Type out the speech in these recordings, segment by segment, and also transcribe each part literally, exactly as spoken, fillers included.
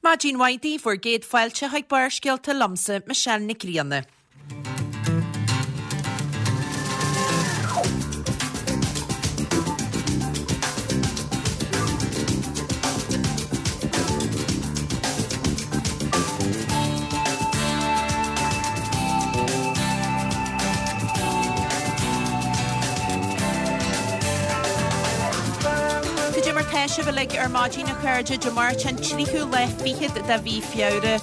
Maidin mhaith daoibh, bhur gcéad fáilte chuig Barrscéalta liomsa, Michelle Nic Grianna. Cad é mar tá sibh uilig ar maidin a chairde, Dé Máirt an tríú lá fichead de mhí Feabhra.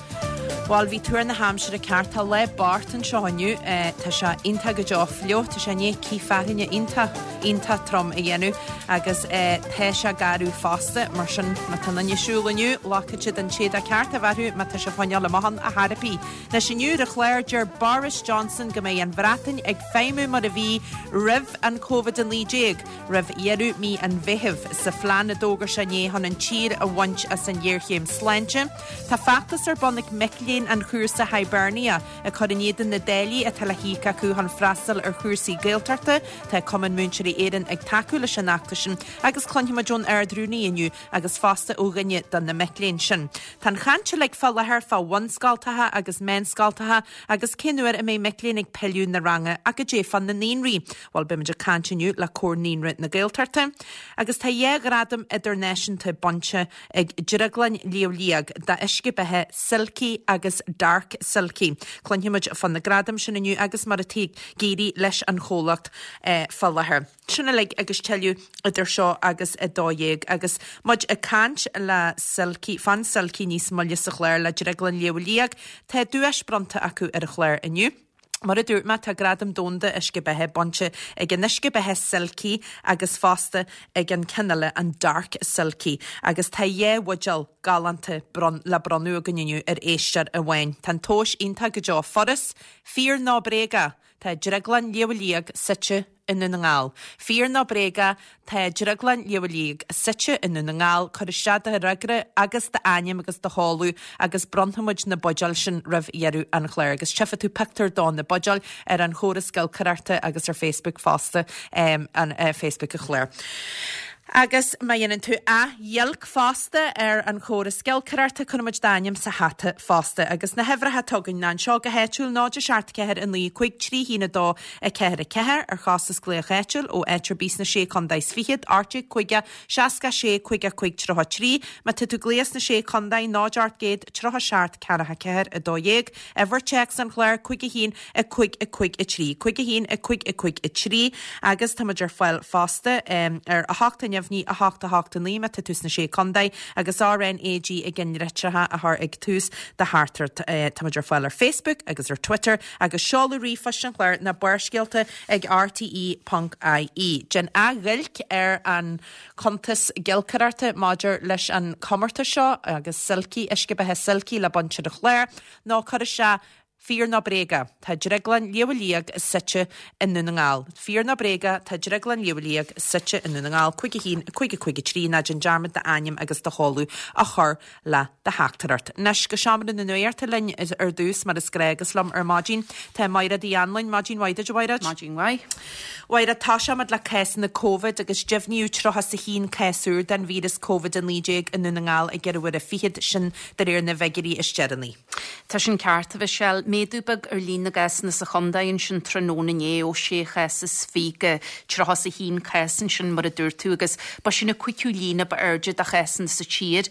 Bhuel, bhí tuar na haimsire ceart, tá lá bocht anseo inniu. Tá sé iontach go deo fliuch, tá sé i ndiaidh cith fearthainne iontach, iontach trom a dhéanamh agus tá sé garbh fosta, mar sin má tá duine ag siúl inniu, glacfaidh siad an t-éadach ceart a bheith orthu má tá sibh ag coinneáil amach ann ar chor ar bith. Anois inniu ar an chlár, deir Boris Johnson go mbeidh an Bhreatain ag feidhmiú mar a bhí roimh an Covid a naoi déag, roimh dheireadh mí an Mheithimh, sa phlean a d'fhógair sé inné chun an tír a bhaint as an ghéarchéim sláinte. Tá feachtas ar bun ag mic léinn an chúrsa Hibernia ag cur in éadan na dtáillí atá le híoc acu chun freastal ar chúrsaí Gaeltachta. Tá Cumann Múinteoirí Éireann ag tacú leis an fheachtas sin agus cluinfimid ón Ard-Rúnaí inniu agus fosta ó dhuine de na mic léinn sin. Tá an chaint uilig fá láthair fá bhunscoltacha agus meánscoltacha agus cén uair a mbeidh mic léinn ag pilleadh na ranga ach goidé fá na naíonraí. Bhuel, beimid ag caint inniu le Comhar Naíonra na Gaeltachta. Agus tá dhá ghradam idirnáisiúnta bainte ag Drioglann Shliabh Liag d'uisce beatha Silky agus Dark Silky. Cluinfimid fá na gradaim sin inniu agus mar atá ag éirí leis an chomhlacht fá láthair. Sin uilig agus tuilleadh idir seo agus a dó dhéag agus muid ag caint le Silky, fán Silky níos moille sa chlár le Drioglann Shliabh Liag, tá duais bronnta acu ar an chlár inniu. Mar a dúirt mé, tá gradam domhanda uisce beatha bainte ag an uisce beatha Silky agus fosta ag an ceann eile, an Dark Silky. Agus tá dhá bhuidéal galánta bron le bronnadh againn inniu ar éisteoir amháin. Tá an tomhas iontach go deo furas, fíor nó bréagach, tá Drioglann Shliabh Liag suite i nDún na nGall. Fíor nó bréagach, tá Drioglann Shliabh Liag suite i nDún na nGall, cuir isteach do fhreagra agus d'ainm agus do sheoladh agus bronnfaimid na buidéil sin roimh dheireadh an chláir. Agus tchífidh tú pictiúr do na buidéil ar an chóras giolcaireachta agus ar Facebook fosta, an Facebook an chláir. Agus má dhéanann tú athghiolc fosta ar an chóras giolcaireachta, cuirfimid d'ainm sa hata fosta. Agus na huimhreacha atá againn ná anseo go háitiúil, náid a seacht ceathair a naoi cúig trí haon a dó a ceathair a ceathair, ar chostas glaoch áitiúil ó áit ar bith sna sé contae is fichead, ocht déag caoga seasca sé caoga cúig tríocha trí. Má tá tú ag glaoch sna sé contae, náid ocht gcéad tríocha seacht ceathracha ceathair a dó dhéag, uimhir téacs an chláir, cúig a haon a cúig a cúig a trí, cúig a haon a cúig a cúig a trí, agus táimid ar fáil fosta ar a hocht a neamhní a hocht a hocht a naoi má tá tú sna sé contae agus R N A G i gcinnlitreacha a chur ag tús do theachtaireacht. Táimid ar fáil ar Facebook agus ar Twitter agus seoladh ríomhphoist an chláir ná Barrscéalta ag R T E ponc I E. Déan athghiolc ar an chuntas giolcaireachta maidir leis an chomórtas seo agus Silky, uisce beatha Silky le baint ar an chlár nó cuir isteach Fíor nó bréagach, tá Drioglann Shliabh Liag suite i nDún na nGall. Fíor nó bréagach, tá Drioglann Shliabh Liag suite i nDún na nGall. cúig a haon, cúig a cúig a trí, ná déan dearmad d'ainm agus do sheoladh a chur le do theachtaireacht. Anois go seomra na nuachta linn ar dtús, mar is gnách agus liom ar maidin tá Maighread Uí Anluain. Maidin mhaith duit, a Mhaighread. Maidin mhaith. Mhaighread, toiseoimid le cásanna Covid agus deimhníodh tríocha is a haon cás úr den víreas Covid a naoi déag i nDún na nGall ag ceithre huaire fichead, sin de réir na bhfigiúirí is deireanaí. Tá sin ceart, a Mhichelle. Méadú beag ar líon na gcásanna sa chontae ansin tráthnóna inné ó sé chás is fiche go tríocha is a haon cás ansin mar a dúirt tú agus ba sin an cúigiú líon ba airde de chásanna sa tír.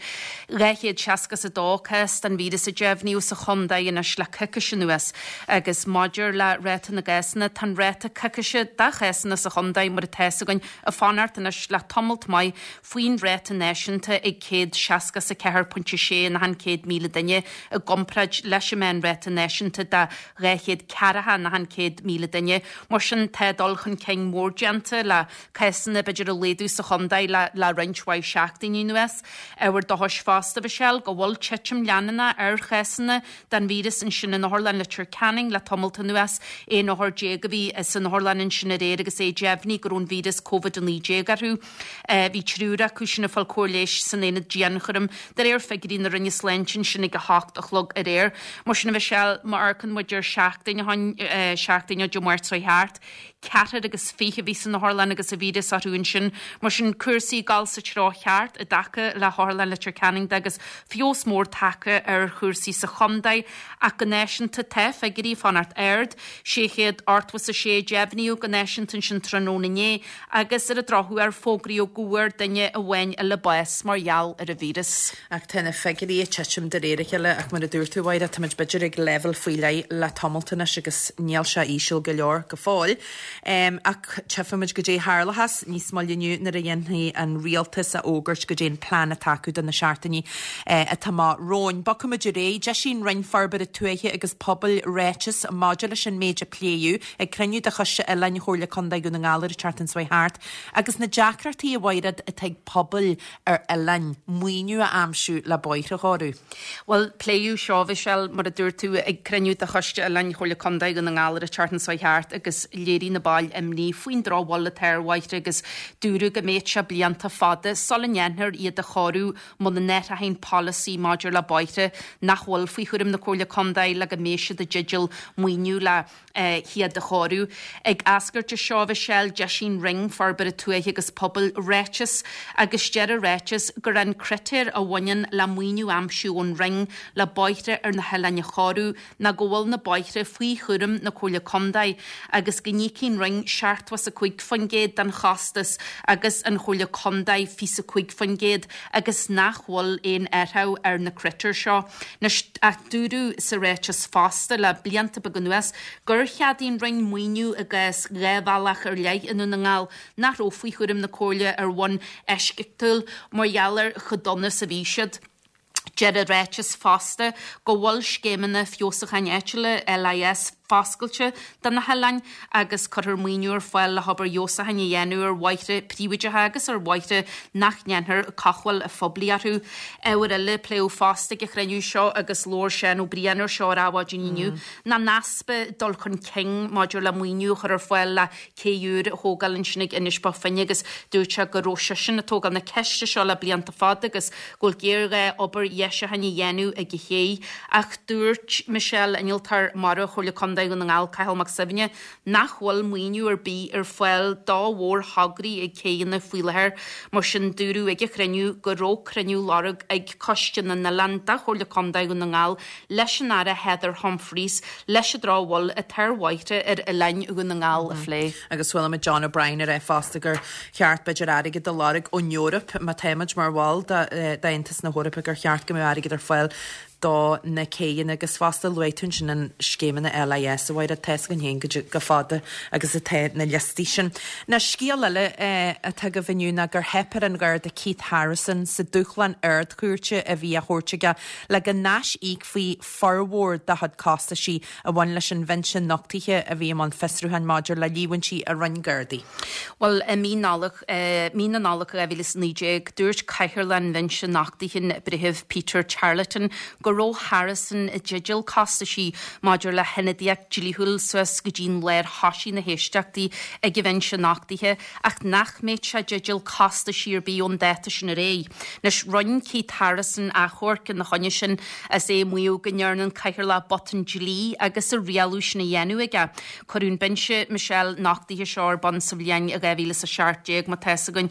Dhá chéad seasca is a dó cás den víreas a deimhníodh sa chontae anois le coicís anuas agus maidir le ráta na gcásanna, tá an ráta coicíse de chásanna sa chontae mar atá fhios againn ag fanacht anois le tamalt maith faoin ráta náisiúnta ag céad seasca is a ceathair pointe sé in achan céad míle duine i gcomparáid leis an meánráta náisiúnta de dhá chéad ceathracha in achan céad míle duine. Mar sin, tá dul chun cinn mór déanta le cásanna b'fhéidir a laghdú sa chontae le le roinnt mhaith seachtainí anuas. Ábhar dóchais fosta, Michelle, go bhfuil titim leanúnach ar chásanna den víreas ansin in Otharlann Leitir Ceanainn le tamalt anuas. Aon othar déag a bhí san otharlann ansin aréir agus é deimhnithe go raibh an víreas Covid a naoi déag orthu. Bhí triúr acu sin ag fáil cóir leighis san aonad dianchúraim de réir figiúirí na Roinne Sláinte ansin ag a hocht a chlog aréir. Mar sin, a Mhichelle, má amharcann muid ar seachtain ó shin, seachtain ó Dé Máirt seo thart, ceathrar agus fiche a bhí san otharlann agus an víreas orthu ansin. Mar sin, cúrsaí ag dul sa treo cheart i dtaca le hOtharlann Leitir Ceanainn de agus feabhas mór tagtha ar chúrsaí sa chontae ach go náisiúnta tá figiúirí ag fanacht ard, sé chéad ochtó is a sé deimhníodh go náisiúnta ansin tráthnóna inné agus ar an drochuair fógraíodh go bhfuair duine amháin eile bás mar gheall ar an víreas. Ach tá na figiúirí ag titim de réir a chéile ach mar a dúirt tú, a Mhaighread, táimid b'fhéidir ag leibhéal faoi leith le tamalt anois agus níl sé íseal go leor go fóill. Ach tchífimid goidé a tharlóchas níos moille inniu nuair a dhéanfaidh an rialtas a fhógairt goidé an plean atá acu do na seachtainí atá amach romhainn. Bogfaimid ar aghaidh. D'eisigh an Roinn Forbartha Tuaithe agus Pobail ráiteas maidir leis an méid a pléadh ag cruinniú de Choiste Oileáin Chomhairle Contae Dhún na nGall ar an tseachtain seo thart agus na deacrachtaí a Mhaighread atá ag pobail ar oileáin maoiniú a aimsiú le bóithre a chóiriú. Bhuel, pléadh seo, Michelle, mar a dúirt tú, ag cruinniú de Choiste Oileáin Chomhairle Contae Dhún na nGall ar an tseachtain seo thart agus léirigh na baill imní faoin drochbhail atá ar bhóithre agus dúradh go mbeadh sé blianta fada sula ndéanfar iad a chóiriú muna n-athraíonn an polasaí maidir le bóithre nach bhfuil faoi chúram na Comhairle Contae le go mbeidh siad i dteideal maoiniú le hiad a chóiriú. Ag eascairt as seo, Michelle, d'eisigh an Roinn Forbartha Tuaithe agus Pobail ráiteas agus deir an ráiteas gur an critéar a bhaineann le maoiniú a aimsiú ón Roinn le bóithre ar na hoileáin a chóiriú ná go bhfuil na bóithre faoi chúram na Comhairle Contae agus go n-íocfaidh an Roinn seachtó is a cúig faoin gcéad den chostas agus an Chomhairle Contae fiche is a cúig faoin gcéad agus nach bhfuil aon athrú ar na critéir seo. Anois, ach dúradh sa ráiteas fosta le blianta beaga anuas gur cheadaigh an Roinn maoiniú i gcás dhá bhealach ar leith i nDún na nGall nach raibh faoi chúram na Comhairle ar bhonn eisceachtúil mar gheall ar chomh dona is a bhí siad. Deir an ráiteas fosta go bhfuil scéimeanna feabhsúcháin áitiúla, LIS, foscailte do na hoileáin agus cuirfear maoiniú ar fáil le hobair fheabhsúcháin a dhéanamh ar bhóithre príobháideacha agus ar bhóithre nach ndéanfar cothabháil phoiblí orthu. Ábhar eile a pléadh fosta ag an chruinniú seo agus labhair Seán Ó Briain ar seo ar Adhmhaidin inniu ná an easpa dul chun cinn maidir le maoiniú a chur ar fáil le cé úr a thógáil ansin ag Inis Bó Finne agus dúirt sé go raibh seisean ag tógáil na ceiste seo le blianta fada agus go bhfuil géarghá obair dheisiúcháin a dhéanamh ag an ché. Ach dúirt Michelle, Innealtóir Mara Chomhairle Contae Dhún na nGall, Cathal Mac Suibhne, nach bhfuil maoiniú ar bith ar fáil do mhórthograí ag céidheanna faoi láthair. Mar sin dúradh ag an chruinniú go raibh cruinniú á lorg ag Coiste na nOileán de Chomhairle Contae Dhún na nGall leis an Aire Heather Humphreys leis an drochbhail atá ar bhóithre ar oileáin Dhún na nGall a phlé. Agus chuala muid John O'Brien ag rá fosta gur cheart b'fhéidir airgead a lorg ón Eoraip má táimid mar bhall d'Aontas na hEorpa gur cheart go mbeadh airgead ar fáil do na céidheanna agus fosta luaigh tú ansin an scéimeanna LIS a Mhaighread, tá a fhios againn féin chomh fada agus atá na liostaí sin. Now scéal eile atá agaibh inniu ná gur theip ar an Gharda Keith Harrison sa dúshlán Ard-Chúirte a bhí á thabhairt aige le go n-aisíocfaí formhór dá chuid costaisí a bhain leis an bhinse nochtaithe a bhí i mbun fiosrúcháin maidir le líomhaintí a rinne Gardaí. Bhuel, i mí Nollag, mí na Nollag dhá mhíle is a naoi déag, dúirt Cathaoirleach an Bhinse Nochtaithe, an Breitheamh Peter Charleton, go raibh Harrison i dteideal costaisí maidir le hionadaíocht dlíthiúil suas go dtí an lá ar thosaigh na héisteachtaí ag an bhinse nochtaithe ach nach mbeadh sé i dteideal costaisí ar bith ón dáta sin ar aghaidh. Anois, rinne Keith Harrison achomharc ina choinne sin is é ag maíomh go ndearna an Cathaoirleach botún dlí agus an rialú sin á dhéanamh aige. Cuireadh an binse Michelle nochtaithe seo ar bun sa bhliain dhá mhíle is a seacht déag, má tá fhios againn,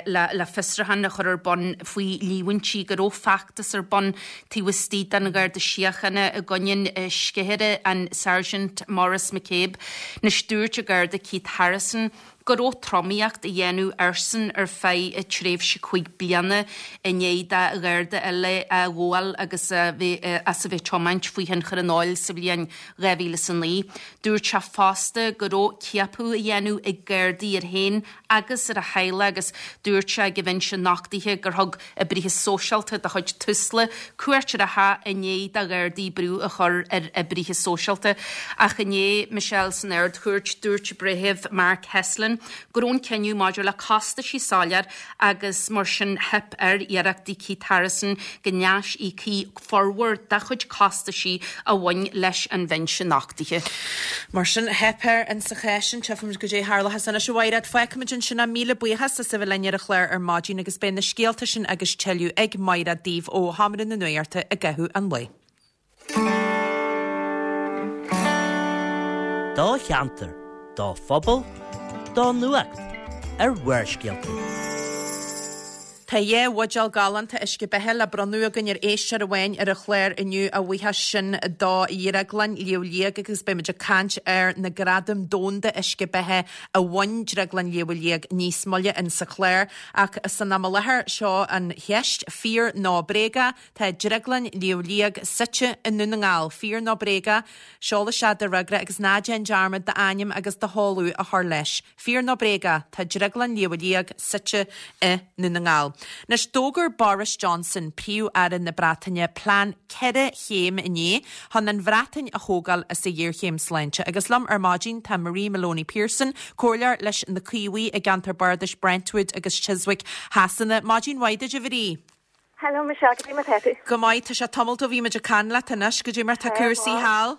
le le fiosrúchán a chur ar bun faoi líomhaintí go raibh feachtas ar bun taobh istigh den Gharda Síochána i gcoinne an sceithire, an Sergeant Maurice McCabe. Anois dúirt an Garda Keith Harrison go raibh tromaíocht á dhéanamh airsean ar feadh tréimhse cúig bliana i ndiaidh do Gharda eile a ghabháil agus a bheith as a bheith ag tiomáint faoi thionchar an óil sa bhliain dhá mhíle is a naoi. Dúirt sé fosta go raibh ciapadh á dhéanamh ag Gardaí air féin agus ar a theaghlach agus dúirt sé ag an bhinse nochtaithe gur thug oibrithe sóisialta de chuid Tusla cuairt ar a theach i ndiaidh do Ghardaí brú a chur ar oibrithe sóisialta. Ach inné, Michelle, san Ard-Chúirt, dúirt Breitheamh Mark Heslin go raibh an cinneadh maidir le costaisí soiléir agus mar sin theip ar iarrachtaí Keith Harrison go n-aisíocfaí formhór dá chuid costaisí a bhain leis an bhinse nochtaithe. Mar sin, theip air insa chás sin. Tchífimid goidé a tharlóchas anois, a Mhaighread. Fágfaimid ansin é. Míle buíochas as a bheith linn ar an chlár ar maidin agus beidh na scéalta sin agus tuilleadh ag Maighread daoibh ó Sheomra na Nuachta i gcaitheamh an lae. Do cheantar, do phobal, do nuacht ar Bharrscéalta. Tá dhá bhuidéal galánta uisce beatha le bronnadh againn ar éisteoir amháin ar an chlár inniu a bhuíochas sin do Dhrioglann Shliabh Liag agus beimid ag caint ar na gradaim domhanda uisce beatha a bhain Drioglann Shliabh Liag níos moille in sa chlár ach san am i láthair seo an cheist fíor nó bréaga tá Drioglann Shliabh Liag suite i nDún na nGall fíor nó bréaga seol isteach do fhreagra agus ná déan dearmad d'ainm agus do sheoladh a chur leis. Fíor nó bréaga tá Drioglann Shliabh Liag suite i nDún na nGall. Anois d'fhógair Boris Johnson príomh-aire na Breataine plean ceithre chéim inné chun an Bhreatain a thógáil as a ghéarchéim sláinte agus liom ar maidin tá Marie Maloney Pearson, comhairleoir leis na Caomhaigh i gceantar Bardais Brentwood agus Chiswick Shasana. Maidin mhaith duit a Mharie. Hello Michelle, goidé mar tá tú. Go maith tá sé tamall ó bhí muid ag caint leat anois goidé mar tá cúrsaí thall.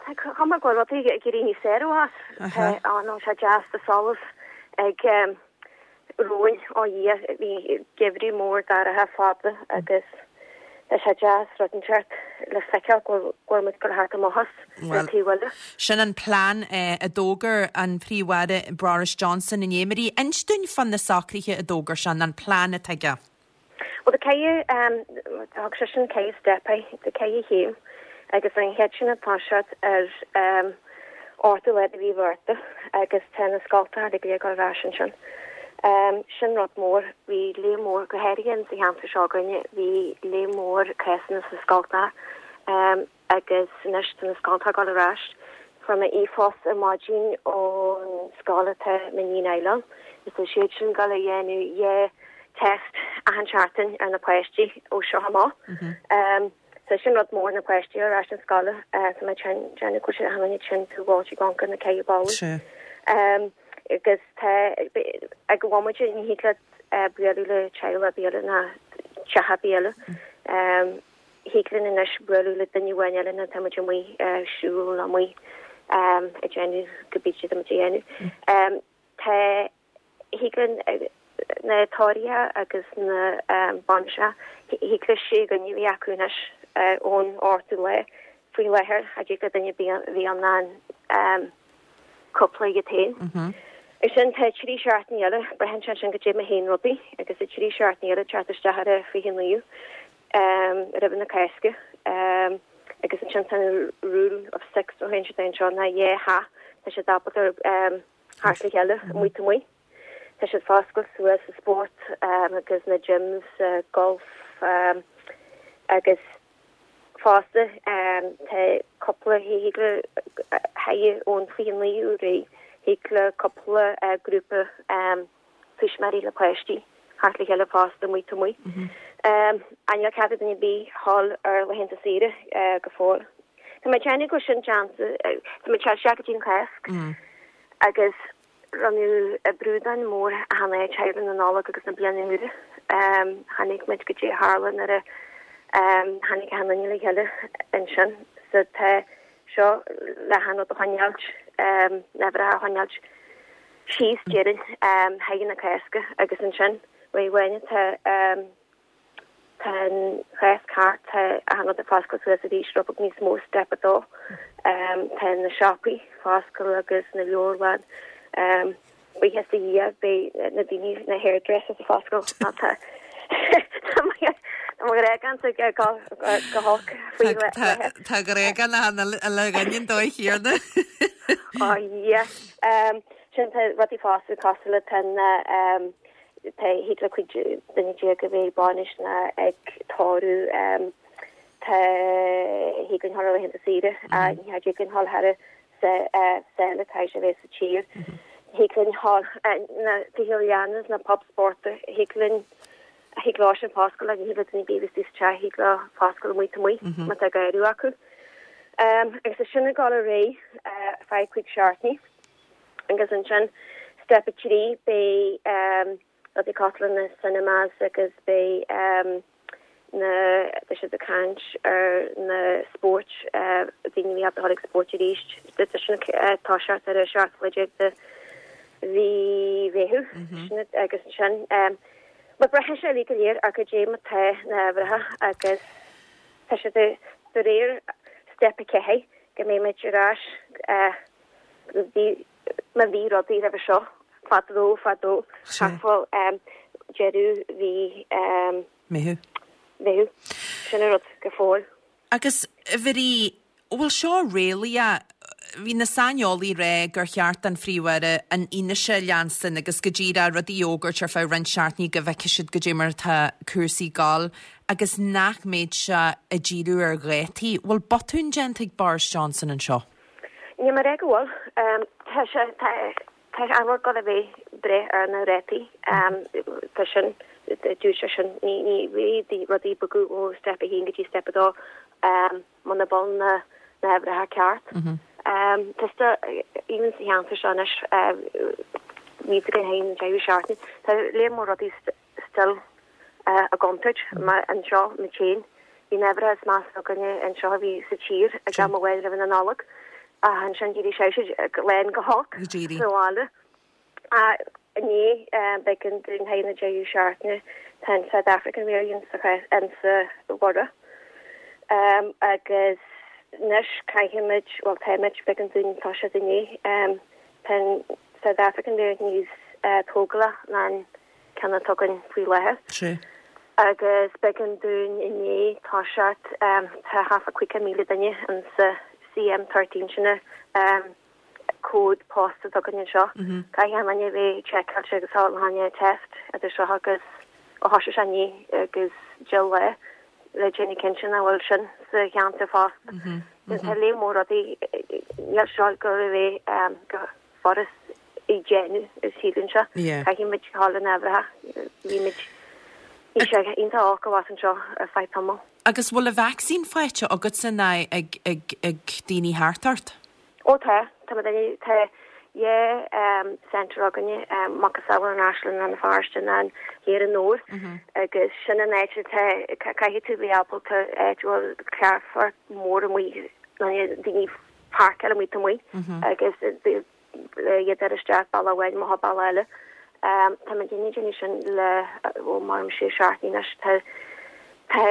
Tá cuma go bhfuil rudaí ag éirí níos fearr as an sé deas de solas ag romhainn ó Dhia bhí geimhreadh mór dorcha fada agus tá sé deas rud inteacht le feiceáil go bhfuil muid ag thart amach as Well, taobh eile. Sin an plean eh, a d'fhógair an príomh-aire Boris Johnson inné Marie inis dúinn fá na socruithe a d'fhógair sé an plean atá aige. Well the ceithre um thug sé sin ceithre step de ceithre chéim agus an chéad sin atá siad ar um ochtú lá de mhí Mhárta agus tá na scoltacha ag dul ar ais ansin. Um, sin rud mór bhí le mór go háirithe sa cheantar seo againne bhí le mór cásanna sa scoltacha um, agus anois tá na scoltacha ag dul ar ais. Fuair mé e-phost ar maidin ón scoil atá m'iníon ann. Is tá siad sin ag dul a dhéanamh dhá test achan seachtain ar na páistí ó seo amach. Um, so sin rud mór na páistí ar ais an scoil uh, tá mé déanamh go bhfuil sin tú bháí ganka na cé ball. Sure. Um, agus tá ag bháid ní hiile buú le teile biile na teha biile. Um, Thig linn anois bualadh le duine amháin eile na tá mu siúl amuigh um, ag déanamh go bí siad am déanamh. Um, Tá thig linn na tórramh agus na um, bainise thig le sé go ní bhí acu anois uh, ón ochtú lá faoi láthair a dtig le duine bhí an an um, cúpla iad féin. Is sin tá trí seachtaine eile braitheann sé sin go dtí haon rudaí agus i trí seachtaine eile teacht isteach ar a fiche naoú um, roimh na Cásca um, agus ansin tá rule of six ó hen sé seo na dhá theach tá sé ábalta um, thart le chéile amuigh amuigh. Tá siad ag oscailt suas sa sport um, agus na gyms, uh, golf um, agus fosta um, tá cúpla thig le haigh ón fiche naoú ré thig le cúpla uh, grúpa um, tuismitheoirí le páistí thart le chéile fosta amuigh amuigh. Um, an cead duine bí hall ar laethanta saoire uh, go fóill. Tá mé déanamh go sin déanta Tá mé se go dtí an Cháisc agus rinneadh a brúdan mór a hana teile na Nollag agus na bliana úr. Um, Tháinig muid go dtí tharla nuair a um, tháinig han le chéile ansin so tá seo le han a choinneáilt um, never a choinneáilt síos déan um, haigh na Cásca agus ansin wa bhaine tá um, tá an Cháisc thart tá a han ag oscailt suas arís rud níos mó step a dó um, tá na siopaí ag oscailt agus na leabharlann um, buíochas do Dhia beidh na daoine na hairdressers ag oscailt tá régan go holc faoi Tá go régan le le gain dói hiarna. Oh yeah. Um sin tá rudaí fosta cosúil le ten um tá thig le cuid duine déag a bheith bainis na ag tórramh um tá thig linn dul laethanta saoire a ní thig linn dul thar sa sa tá sé bheith sa tír. Thig linn dul na tithe leanna na pub sport thig linn thig lá sin oscailt ní le bí te thig le oscailt amuigh amuigh má tá gairú acu. Um, agus sin ag dul ar aghaidh uh, feadh cúig seachtainí agus ansin step a trí beidh um, rudaí cosúil na cinemas agus beidh um, na tá siad ag caint ar na spóirt uh, daoine bhí ag ag spórt arís sin uh, tá seart ar a seacht le de mhí Mheithimh agus sin um, Ma braitheann sé le go léir ar go dé tá na bhretha agus tá sé de de réir step a ceathair go mbeidh muid ar ais uh, Bhí má bhí rudaí roimhe seo fadó fadó thart fá deireadh mhí Meitheamh. Meitheamh. Sin an rud go fóill. Agus a Mharie, bhfuil seo réalaíoch? Bhí na saineolaí ag rá gur cheart don Phríomh-Aire an fhianaise a leanstan agus go díreach rudaí a fhógairt ar feadh roinnt seachtainí go bhfeicfidh siad goidé mar atá cúrsaí ag gabháil agus nach mbeadh sé ag díriú ar dhátaí. Bhfuil botún déanta ag Boris Johnson anseo? Níl mé ag rá go bhfuil. Tá sé, tá, tá an rud ag gabháil a bheith breith ar na rátaí. Tá sin, dúirt sé sin, ní, ní bheidh rudaí ag bogadh ó step a haon go dtí step a dó muna bhfuil na na huimhreacha ceart. Tá sta, even sa cheantar seo anois, bhí go haon deireadh seachtaine, tá léar mór rudaí still i gcontúirt mar anseo muid féin. Bhí na huimhreacha is measa againne anseo a bhí sa tír ag am amháin roimh na Nollag ach ansin d'éirigh sé lán go holc sa bhaile. Inné b'éigean dúinn haghaidh na deireadh seachtaine tá an South African variant sa sa bhorradh agus anois caithfimid, bhuel táimid, b'éigean dúinn toiseacht inné, tá an South African variant níos tógála ná an ceann atá againn faoi láthair. Sea. Agus b'éigean dúinn inné toiseacht, tá thart fá caoga míle duine in sa C M thirteen sin an cód post atá againn anseo. Caithfidh an duine bheith seiceáilte agus fáil an test idir seo agus ó thosaigh sé inné agus deich lá le déanamh cinnte nach bhfuil sin sa cheantar fosta. Tá léar mór rudaí, níl seo go raibh go furast a dhéanamh is síleann sé. Caithfidh muid fáil na n-uimhreacha. Bhí muid bhí sé iontach olc abhus anseo ar feadh tamaill. Agus bhfuil an vacsaín faighte agatsa ná ag ag ag daoine thart ort? Ó tá, tá mo duine tá dhá centre againne, macasamhail an Áislann Rann na Feirste ná an Thiar an Nór agus sin an áit atá caithfidh tú bheith ábalta áit a bhfuil carrfort mór amuigh daoine páirceáil amuigh taobh amuigh agus iad ar isteach bealach amháin amach bealach eile. Tá muid ag déanamh sin le ó mar sé seachtaine anois tá tá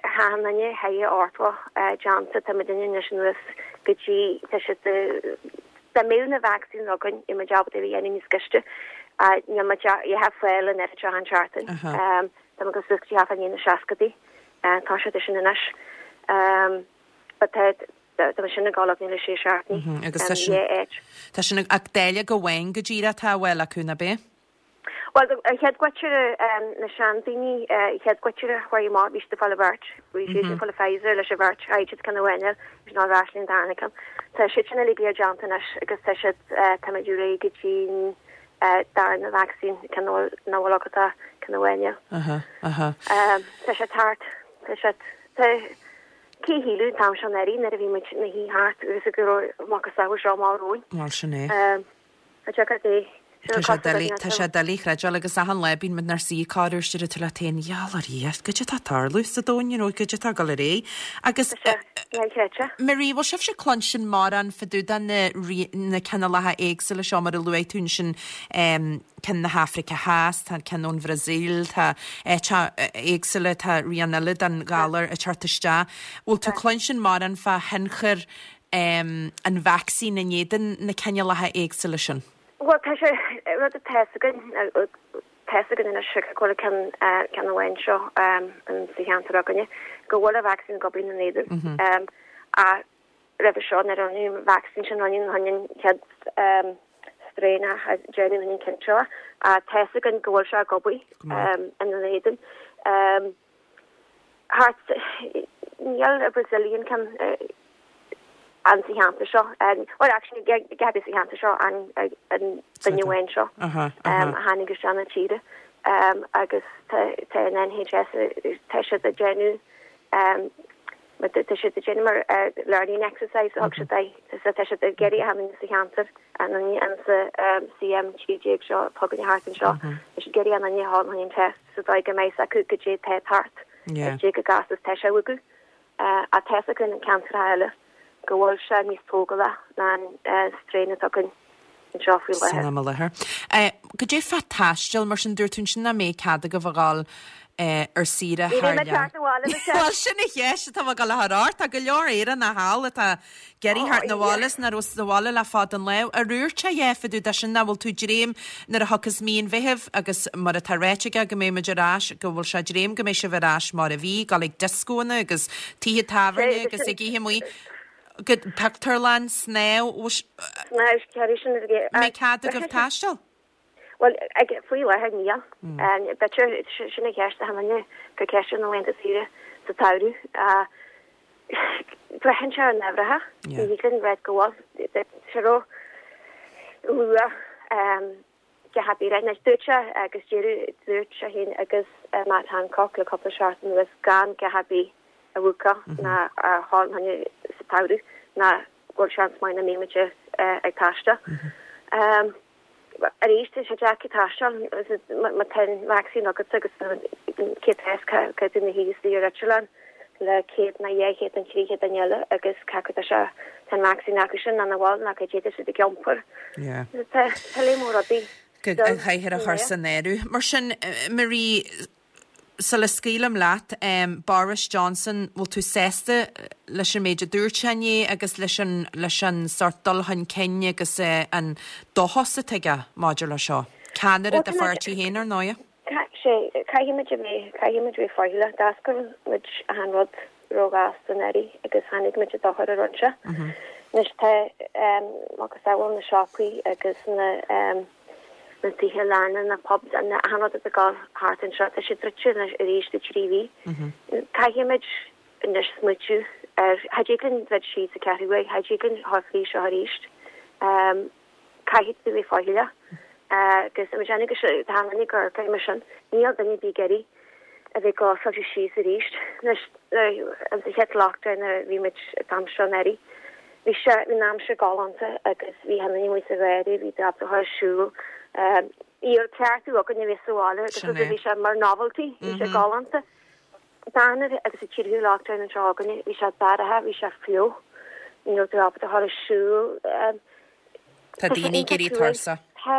achan duine thar ochtó déanta tá muid anois anuas go dtí tá siad dá mbeadh na vaccines againn i muid ábalta a dhéanamh níos gaiste níl muid á fáil an oiread seo an tseachtain. Tá muid go suas go dtí thart fá na seascadaí tá siad sin anois. But tá tá sin ag gabháil le sé seachtaine. Agus tá sin Tá sin ach dáileog amháin go díreach atá á fháil acu nach ea? Well an chéad gcuid na seandaoine chéad gcuid a chuir amach bhí siad ag fáil beirt, bhí siad ag fáil Pfizer leis an bheirt chaithfidh siad ceann amháin bhí ná ras an darna ceann. Tá siad sin uilig déanta anois agus tá siad táimid réidh go dtí darna vaccine ceann nach bhfuil agat ceann amháin. Aha, aha. Tá sé thart tá sé tá cé shílfeadh an t-am seo anuraidh nuair a bhí muid ina shuí thart agus go raibh macasamhail seo amach romhainn. Bhuel sin é. Tá sé é. Tá sé doiligh tá sé doiligh a chreideáil agus achan lá bíonn muid inár suí corruair is tú leat féin gheall ar Dhia, goidé atá ag tarlú sa domhan, you know, goidé atá ag dul ar aghaidh. Agus Tá sé inchreidte. Marie, bhfuil sibhse ag cluinstin mórán fá dtaobh de na rí- na cineálacha éagsúla seo mar a luaigh tú ansin um, ceann na hAfraice Theas, tá ceann ón Bhrasaíl, tá áiteacha éagsúla, tá rian eile den ghalar ag teacht isteach. Bhfuil tú ag cluinstin mórán fá thionchar um, an vacsaín in éadan na cineálacha éagsúla sin? Well tá sé rud atá againn tá againn anois go bhfuil ceann ceann amháin seo an sa cheantar againne go bhfuil an vaccine ag obair ina éadan. A roimhe seo nuair a rinneadh an vaccine sin rinneadh an chéad strain a déanamh an ceann seo a tá againn go bhfuil sé ag obair ina éadan. Thart níl a Brazilian ceann an sa cheantar seo well actually Gabby sa cheantar seo an an duine amháin seo Aha, um, aha. a tháinig isteach na tíre um, agus tá tá an N H S tá siad ag déanamh um, mar tá tá siad ag déanamh mar uh, learning exercise thug siad é tá tá siad ag iarraidh a tháinig sa cheantar an an an sa um, C M trí déag seo tugann thart anseo tá siad ag iarraidh an an an an test sa dóigh go mbeidh acu goidé tá thart Yeah. dé go gas is tá sé uagu uh, a tá againn an ceantar eile go bhfuil sé níos tógála ná an uh, strain atá againn anseo faoi San láthair. am i láthair. Goidé fá taisteal mar sin dúirt tú sin nach mbeidh cead agaibh a ghabháil ar saoire thar lear. Bhuel, sin an cheist atá mé ag dul a chur ort. Tá go leor Éireannach thall atá ag iarraidh theacht 'na bhaile is nach raibh sa bhaile le fada an lá. Ar dhúirt sé a dhath fá dtaobh de sin nach bhfuil tú dréim nuair a thiocfas mí an Mheithimh agus mar atá ráite aige go mbeidh muid ar ais, go bhfuil sé dréim go mbeidh sibh ar ais mar a bhí, dul ag dioscóanna agus tithe tábhairne agus ag ithe amuigh, go pictiúrlann, snámh, mbeidh cead agaibh taisteal? Bhuel, ag, faoi láthair níl. B'fhéidir, sin an cheist achan duine ag cur ceist ar na laethanta saoire sa tsamhradh. Braitheann sé ar an uimhreacha. Ní thig linn rá go bhfuil. Tá sé ró-luath go háirithe. Anois, dúirt sé agus deireadh, dúirt sé féin agus Matt Hancock le cúpla seachtain anuas gan a dhath ar bith a bhúcáil ná a dhul fá choinne sa tsamhradh ná go bhfuil seans maith nach mbeidh muid ag taisteal. Arís, tá sé deacair taisteal má tá an vacsaín agat agus cé tá cé tú ina shuí istigh ar eitleán le céad nó dhá chéad nó trí chéad duine eile agus cé acu tá sé tá an vacsaín acu sin nó nach bhfuil nó cad é tá siad ag iompar. Tá tá léim mór rudaí. An chathair a chur san áireamh. Mar sin, Marie, Sula scaoilim leat, Boris Johnson, bhfuil tú sásta leis an méid a dúirt sé inné agus leis an leis an sórt dul chun cinn agus an dóchas atá aige maidir le seo? Ceannaire do pháirtí féin, ar ndóigh. Sea, caithfimid a bheith, caithfimid a bheith faichilleach. D'oscail muid achan rud róghasta anuraidh agus tháinig muid i dochar a rinne sé. Anois tá macasamhail na siopaí agus na na tithe leanna, na pubs, achan rud atá ag dul thart anseo, tá sé druidte anois arís do trí mhí. Caithfimid anois smaoitiú ar, cha dtig linn druid síos sa ceathrú uair, cha dtig linn dhul fríd seo arís. Caithfidh tú bheith faichilleach agus tá muid ag déanamh go tá an gur gur mar sin, níl duine ar bith ag iarraidh a bheith clósáilte síos arís. Anois, an sa chéad lockdown nuair a bhí muid an t-am seo anuraidh, bhí sé, bhí an aimsir galánta agus bhí achan duine amuigh sa gharraí, bhí tú ábalta dhul ar siúl. Bhí an ceart againn a bheith sa bhaile agus Sin é. bhí sé mar novelty, bhí sé galánta. Darna agus sa tríú lockdown anseo againne, bhí sé dorcha, bhí sé fliuch, ní raibh tú ábalta dhul ar siúl. Tá daoine ag éirí tuirseach. Tá,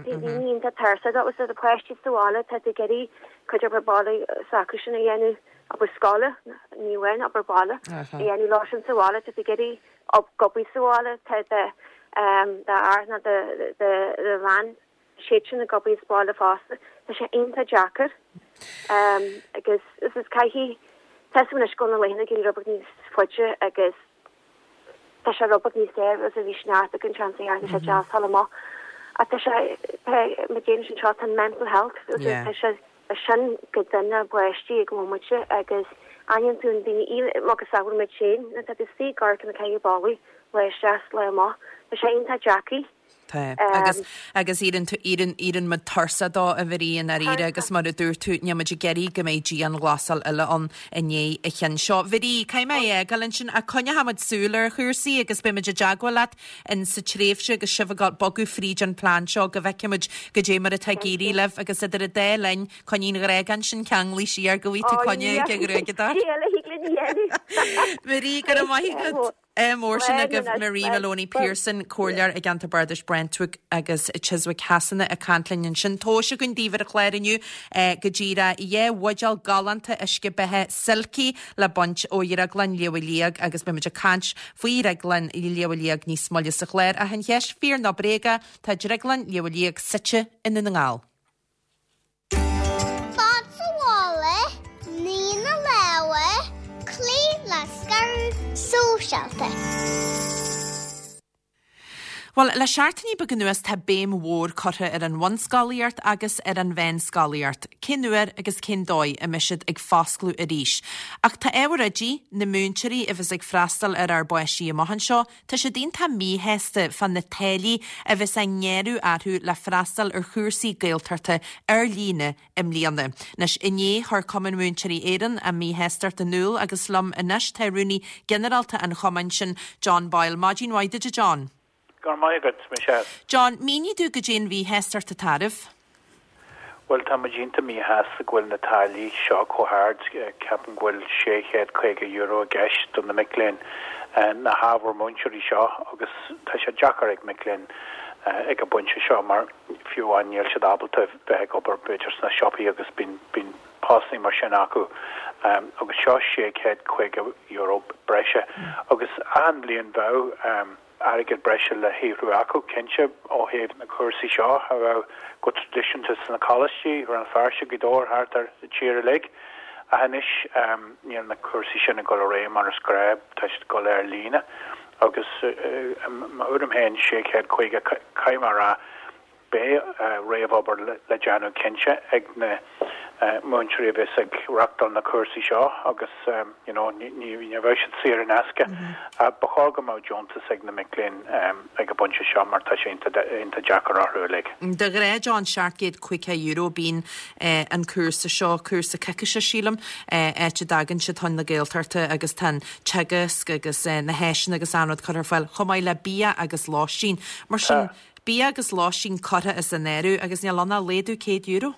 tá daoine iontach tuirseach. Agus tá na páistí sa bhaile, tá tú ag iarraidh cuid obair baile s'acu sin a dhéanamh, obair scoile, ní amháin obair baile, a dhéanamh leo sin sa bhaile, tá tú ag iarraidh ag obair sa bhaile, tá do d'fhear nó do do do bhean, siad sin ag obair sa bhaile fosta. Tá sé iontach deacair. Agus is is caithfidh, tá súil anois go bhfuil na laethanta ag éirí rud beag níos faide agus Tá sé rud beag níos saoire agus bhí sneachta againn seans a dhearna sé deas thall amach. Ach tá sé, tá, má déanann sin seo, tá an mental health, tá sé sin go dona báistí ag an bhomaite agus aithníonn tú an daoine, macasamhail muid féin, nuair atá tú istigh ag amharc ar na ceithre ballaí, lá isteach is lá amach, tá sé iontach deacair. Tá. Agus, agus éiríonn tú, éiríonn, éiríonn muid tuirseach dó, a Mharie, i ndáiríre agus mar a dúirt tú, níl muid ag iarraidh go mbeidh dianghlasáil eile ann i ndiaidh an chinn seo. Mharie, caithfidh mé é a fhágáil ansin ach coinneoidh muid súil ar chúrsaí agus beidh muid i dteagmháil leat in sa tréimhse agus sibh ag bogadh fríd an plean seo go bhfeicfidh muid goidé mar atá ag éirí libh agus idir an dá linn, coinnigh an ghruag sin ceanglaithe siar go bhfaighidh tú coinne ag an ghruaigeadóir. Marie, go raibh maith agat. Ádh mór sin agaibh Marie Moloney Pearson, Comhairleoir i gceantar Bardais Brentwick agus Chiswick Shasana ag caint linn ansin. Tomhais againn daoibh ar an chlár inniu go díreach dhá bhuidéal galánta uisce beatha Silky le baint ó Dhrioglann Shliabh Liag agus beidh muid ag caint faoi Dhrioglann Shliabh Liag níos moille sa chlár. Ach an cheist, fíor nó bréaga, tá Drioglann Shliabh Liag suite i nDún na nGall. Fan sa bhaile, nigh na lámha, cloígh le scaradh sóisialta. Bhuel, le seachtainí beaga anuas tá béim mhór curtha ar an bhunscolaíocht agus ar an mheánscolaíocht, cén uair agus cén dóigh a mbeidh siad ag foscladh arís. Ach tá ábhair oidí, na múinteoirí a bheas ag freastal ar ár bpáistí amach anseo, Tá siad iontach míshásta fá na táillí a bheas á ngearradh orthu le freastal ar chúrsaí Gaeltachta ar líne i mbliana. Anois, inné chuir Cumann Múinteoirí Éireann a míshástacht in iúl agus liom anois tá Rúnaí Ginearálta an chumainn sin, John Boyle. Maidin mhaith duit a John. Go raibh maith agat, Michelle. John, mínigh domh goidé an mhíshástacht atá oraibh. Bhuel, tá muid iontach míshásta go bhfuil na táillí seo chomh hard. Ceapaim go bhfuil sé chéad caoga euro i gceist do na mic léinn, na hábhair múinteoirí seo agus tá sé deacair ag mic léinn ag an bpointe seo mar fiú amháin níl siad ábalta bheith ag obair b'fhéidir sna siopaí agus bíonn bíonn postanna mar sin acu agus seo sé chéad caoga euro breise agus achan bhliain bheadh airgead breise le shaothrú acu cinnte ó thaobh na cúrsaí seo a bheadh go traidisiúnta sna coláistí Rann na Feirste Gaoth Dobhair thart ar an tír uilig. Ach anois níl na cúrsaí sin ag dul ar aghaidh mar is gnách, tá siad ag dul ar líne agus i mo thuairim féin sé chéad caoga caithfidh mé a rá beidh réamhobair le déanamh cinnte ag na múinteoirí a bheas ag reáchtáil na cúrsaí seo agus you know ní ní bheidh siad saor in aisce. Ba chóir go mbeadh deontas ag na mic léinn ag an bpointe seo mar tá sé iontach deacair orthu uilig. De ghnáth John seacht gcéad caoga euro bíonn an cúrsa seo, cúrsa coicíse sílim, áit a dtagann siad chun na Gaeltachta agus tá an teagasc agus na háiseanna agus an rud curtha ar fáil chomh maith le bia agus lóistín. Mar sin bia agus lóistín curtha as an áireamh agus níl ann ach laghdú céad euro.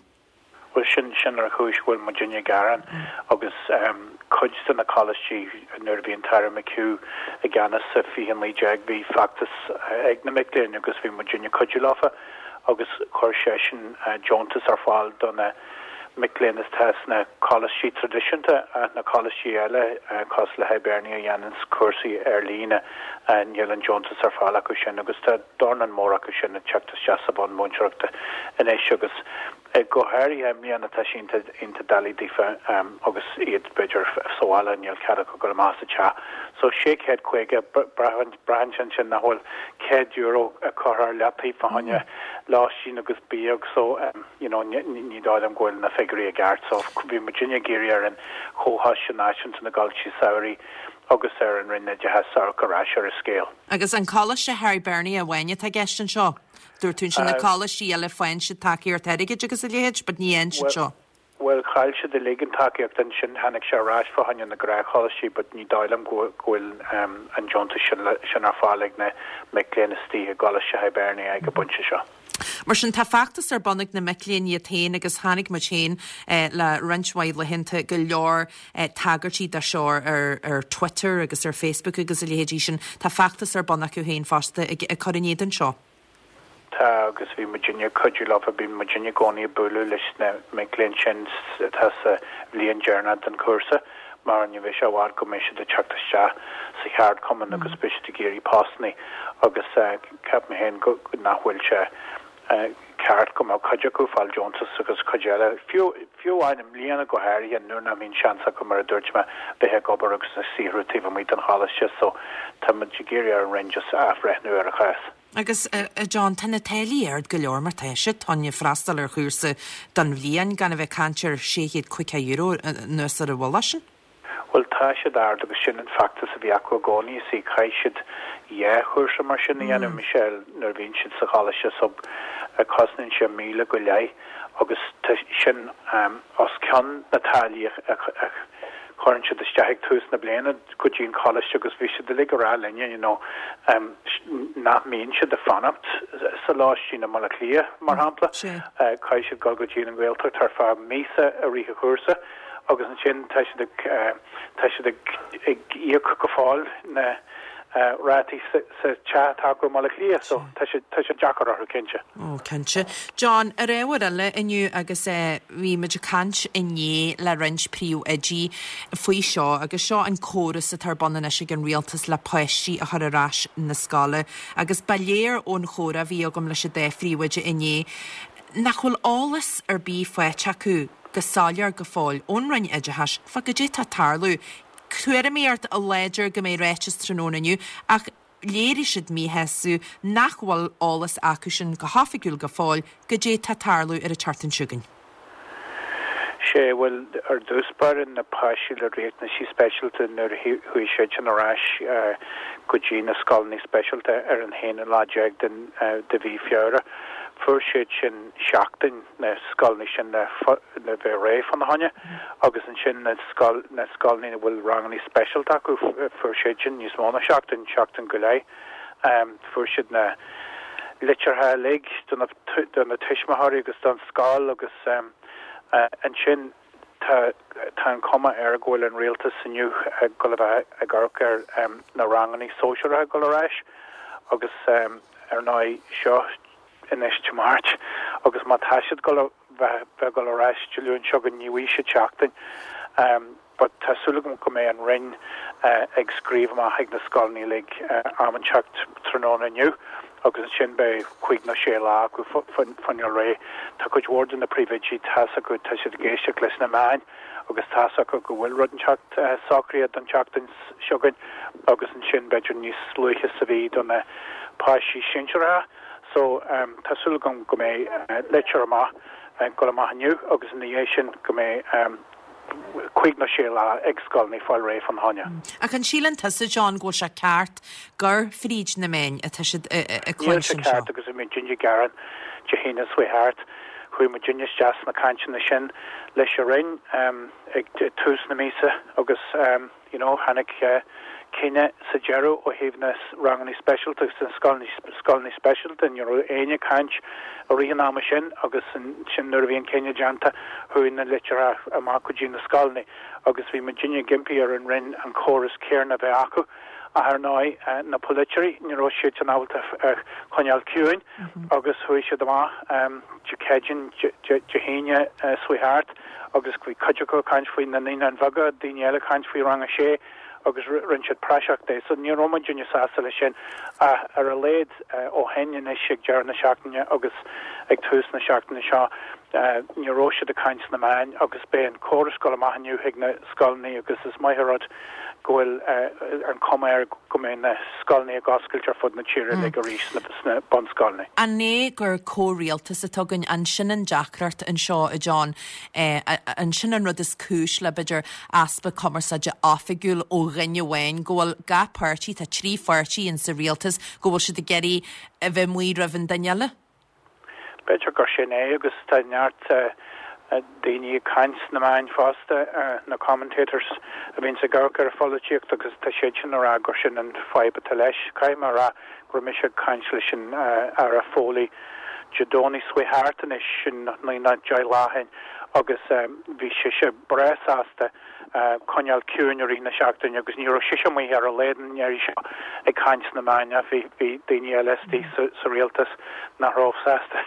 Bhuel sin sin ar chúis go bhfuil muidinne ag gearán agus cuid de na coláistí nuair a bhí an tAire McHugh i gceannas sa fiche naoi déag bhí feachtas ag na mic léinn agus bhí muidinne ag cuidiú leofa agus chuir seisean deontas ar fáil do na mic léinn atá sna coláistí traidisiúnta ach na coláistí eile cosúil le Hibernia a dhéananns cúrsaí ar líne níl an deontas ar fáil acu sin agus tá dornán mór acu sin ag teacht isteach sa bhun múinteoireachta anois agus go háirithe i mbliana tá sé iontach doiligh daofa agus iad b'fhéidir sa bhaile níl cead acu dul amach as an teach. So sé chéad caoga braitheann sé ansin nach bhfuil céad euro curtha ar leataobh fá choinne lóistín agus bia so you know ní dóigh liom go bhfuil na figiúirí i gceart so bhí muidinne ag iarraidh ar an Chomhchoiste Náisiúnta na gColáistí Samhraidh agus ar an Roinn Oideachais amharc ar ais ar an scéal. Agus an Coláiste Hibernia amháin atá i gceist anseo? Dúirt tú ansin na coláistí eile faigheann siad tacaíocht airgid agus a leithéid, but ní fhaigheann siad seo. Bhuel, chaill siad uilig an tacaíocht ansin, tháinig sé ar ais fá choinne na gnáthcholáistí, but ní dóigh liom go bhfuil an deontas sin ar fáil ag na mic léinn istigh i gColáiste Hibernia ag an bpointe seo. Mar sin, tá feachtas ar bun ag na mic léinn iad féin agus chonaic muid féin le roinnt mhaith laethanta go leor tagairtí dá seo ar ar Twitter agus ar Facebook agus a leithéidí sin. Tá feachtas ar bun acu féin fosta ag cur in éadan seo. Tá, agus bhí muidinne ag cuidiú leofa, bíonn muidinne i gcónaí ag bualadh leis na mic léinn sin atá sa bhliain deireanach den chúrsa mar ní bheidh sé i bhfad go mbeidh siad ag teacht isteach sa cheardchumann agus beidh siad ag iarraidh postanna agus ceapaim féin go nach bhfuil sé ceart go mbeadh cuid acu ag fáil deontas agus cuid eile, fiú fiú amháin i mbliana go háirithe nuair nach mbíonn seans acu mar a dúirt mé bheith ag obair agus ag saothrú taobh amuigh den choláiste so tá muid ag iarraidh ar an Roinn just athbhreithniú ar an chás. Agus, a John, tá na táillí ard go leor mar tá siad, tá freastal ar chúrsa don bhliain gan a bheith ag caint ar sé chéad caoga euro anuas ar a bhfuil sin. Bhuel, tá siad ard agus sin an feachtas a bhí acu i gcónaí, is í caithfidh siad dhá chúrsa mar sin a dhéanamh, Michelle, nuair a bhíonn siad sa choláiste so cosnaíonn sé míle go leith agus tá sin os cionn na táillí a chuireann siad isteach ag tús na bliana go dtí an coláiste agus bhí siad uilig ag rá linne you know nach mbíonn siad ag fanacht sa lóistín i mBaile Átha Cliath mar shampla. Caithfidh siad dul go dtí an Ghaeltacht ar feadh míosa i rith an chúrsa agus ansin tá siad ag tá siad ag ag íoc go fóill na rátaí sa teach atá acu i mBaile Átha Cliath so tá sé tá sé deacair orthu cinnte. Ó cinnte. John, ar ábhar eile inniu agus bhí muid ag caint inné le roinnt príomhoidí faoi seo agus seo an córas atá ar bun anois ag an rialtas le páistí a chur ar ais na scoile agus ba léir ón chomhrá a bhí agam leis an dá phríomhoide inné nach bhfuil eolas ar bith faighte acu go soiléir go fóill ón Roinn Oideachais fá goidé tá ag tarlú. Tuairimíocht láidir go mbeidh ráiteas tráthnóna inniu ach léirigh siad míshásamh nach bhfuil eolas acu sin go hoifigiúil go fóill goidé tá ag tarlú ar an tseachtain seo chugainn. Sé, bhuel, ar dtús báire na páistí le riachtanaisí speisialta nuair a chuaigh siad sin ar ais go dtí na scoileanna speisialta ar an haonú lá déag den de mhí Feabhra, fuair siad sin seachtain na scoileanna sin le le bheith réidh fána choinne agus ansin na scoil na scoileanna a bhfuil ranganna speisialta acu fuair siad sin níos mó ná seachtain, seachtain go leith. Fuair siad na litreacha uilig do na do na tuismitheoirí agus don scoil agus ansin tá tá an chuma air go bhfuil an rialtas inniu ag dul a bheith ag amharc ar na ranganna sóisearacha ag dul ar ais agus ar ndóigh seo anois Dé Máirt agus má tá siad ag dul a bheith ag dul ar ais Dé Luain seo chugainn, ní bhfaighidh siad seachtain. But tá súil agam go mbeidh an Roinn ag scríobh amach ag na scoileanna uilig am inteacht tráthnóna inniu agus ansin beidh cúig nó sé lá acu coinneáil réidh. Tá cuid mhór de na príomhoidí, tá's acu, tá siad ag éisteacht leis na meáin agus tá's acu go bhfuil rud inteacht socraithe don tseachtain seo chugainn agus ansin b'fhéidir níos luaithe sa mhí do na páistí sinsearacha. So tá súil agam go mbeidh litir amach ag dul amach inniu agus ina dhiaidh sin go mbeidh cúig nó sé lá ag scoileanna fáil réidh fán choinne. Ach an síleann tusa, John, go bhfuil sé ceart gur fríd na meáin atá siad ag Níl sé cluinstin seo? ceart agus bhí muidinne ag gearán Dé hAoine seo chuaigh thart. Chuaigh muidinne isteach sna cainteanna sin leis an Roinn ag tús na míosa agus you know tháinig cinneadh sa deireadh ó thaobh na ranganna speisialta agus na scoileanna speisialta. Ní raibh éinne ag caint i rith an ama sin agus sin nuair a bhí an cinneadh déanta chuaigh na litreacha amach go dtí na scoileanna agus bhí muidinne ag impí ar an Roinn an córas céanna a bheith acu. Ach ar ndóigh na polaiteoirí ní raibh siad san ábalta coinneáil ciúin agus chuaigh siad amach Dé Céadaoin, Dé hAoine seo chuaigh thart agus bhí cuid acu ag caint faoi na naíonáin bheaga, daoine eile ag caint faoi rang a sé agus rinne siad praiseach de. So ní raibh muidinne sásta leis sin ach ar a laghad ó shin anois ag deireadh na seachtaine agus ag tús na seachtaine seo ní raibh siad ag caint sna meáin agus beidh an córas ag dul amach inniu chuig na scoileanna agus is maith an rud go bhfuil an cuma air go mbeidh na scoileanna ag oscailt ar fud na tíre uilig arís sna bunscoileanna. An é gur comhrialtas atá againn, an sin an deacracht anseo, a John, an sin an rud is cúis le b'fhéidir easpa cumarsáide oifigiúil ó dhuine amháin, go bhfuil gach páirtí, tá trí pháirtí in sa rialtas, go bhfuil siad ag iarraidh a bheith amuigh roimh an duine eile? B'fhéidir gur sin é agus tá neart daoine ag caint sna meáin fosta, na commentators a bhíonn ag amharc ar an pholaitíocht agus tá siad sin ag rá gur sin an fadhb atá leis. Caithfidh mé a rá go raibh mise ag caint leis an Aire Foley Dé Domhnaigh seo chuaigh thart anois, sin naoi nó deich lá ó shin agus bhí sise breá sásta coinneáil ciúin i rith na seachtaine agus ní raibh sise amuigh ar a laghad an iarraidh seo ag caint sna meáin ach bhí bhí daoine eile istigh sa sa rialtas nach raibh sásta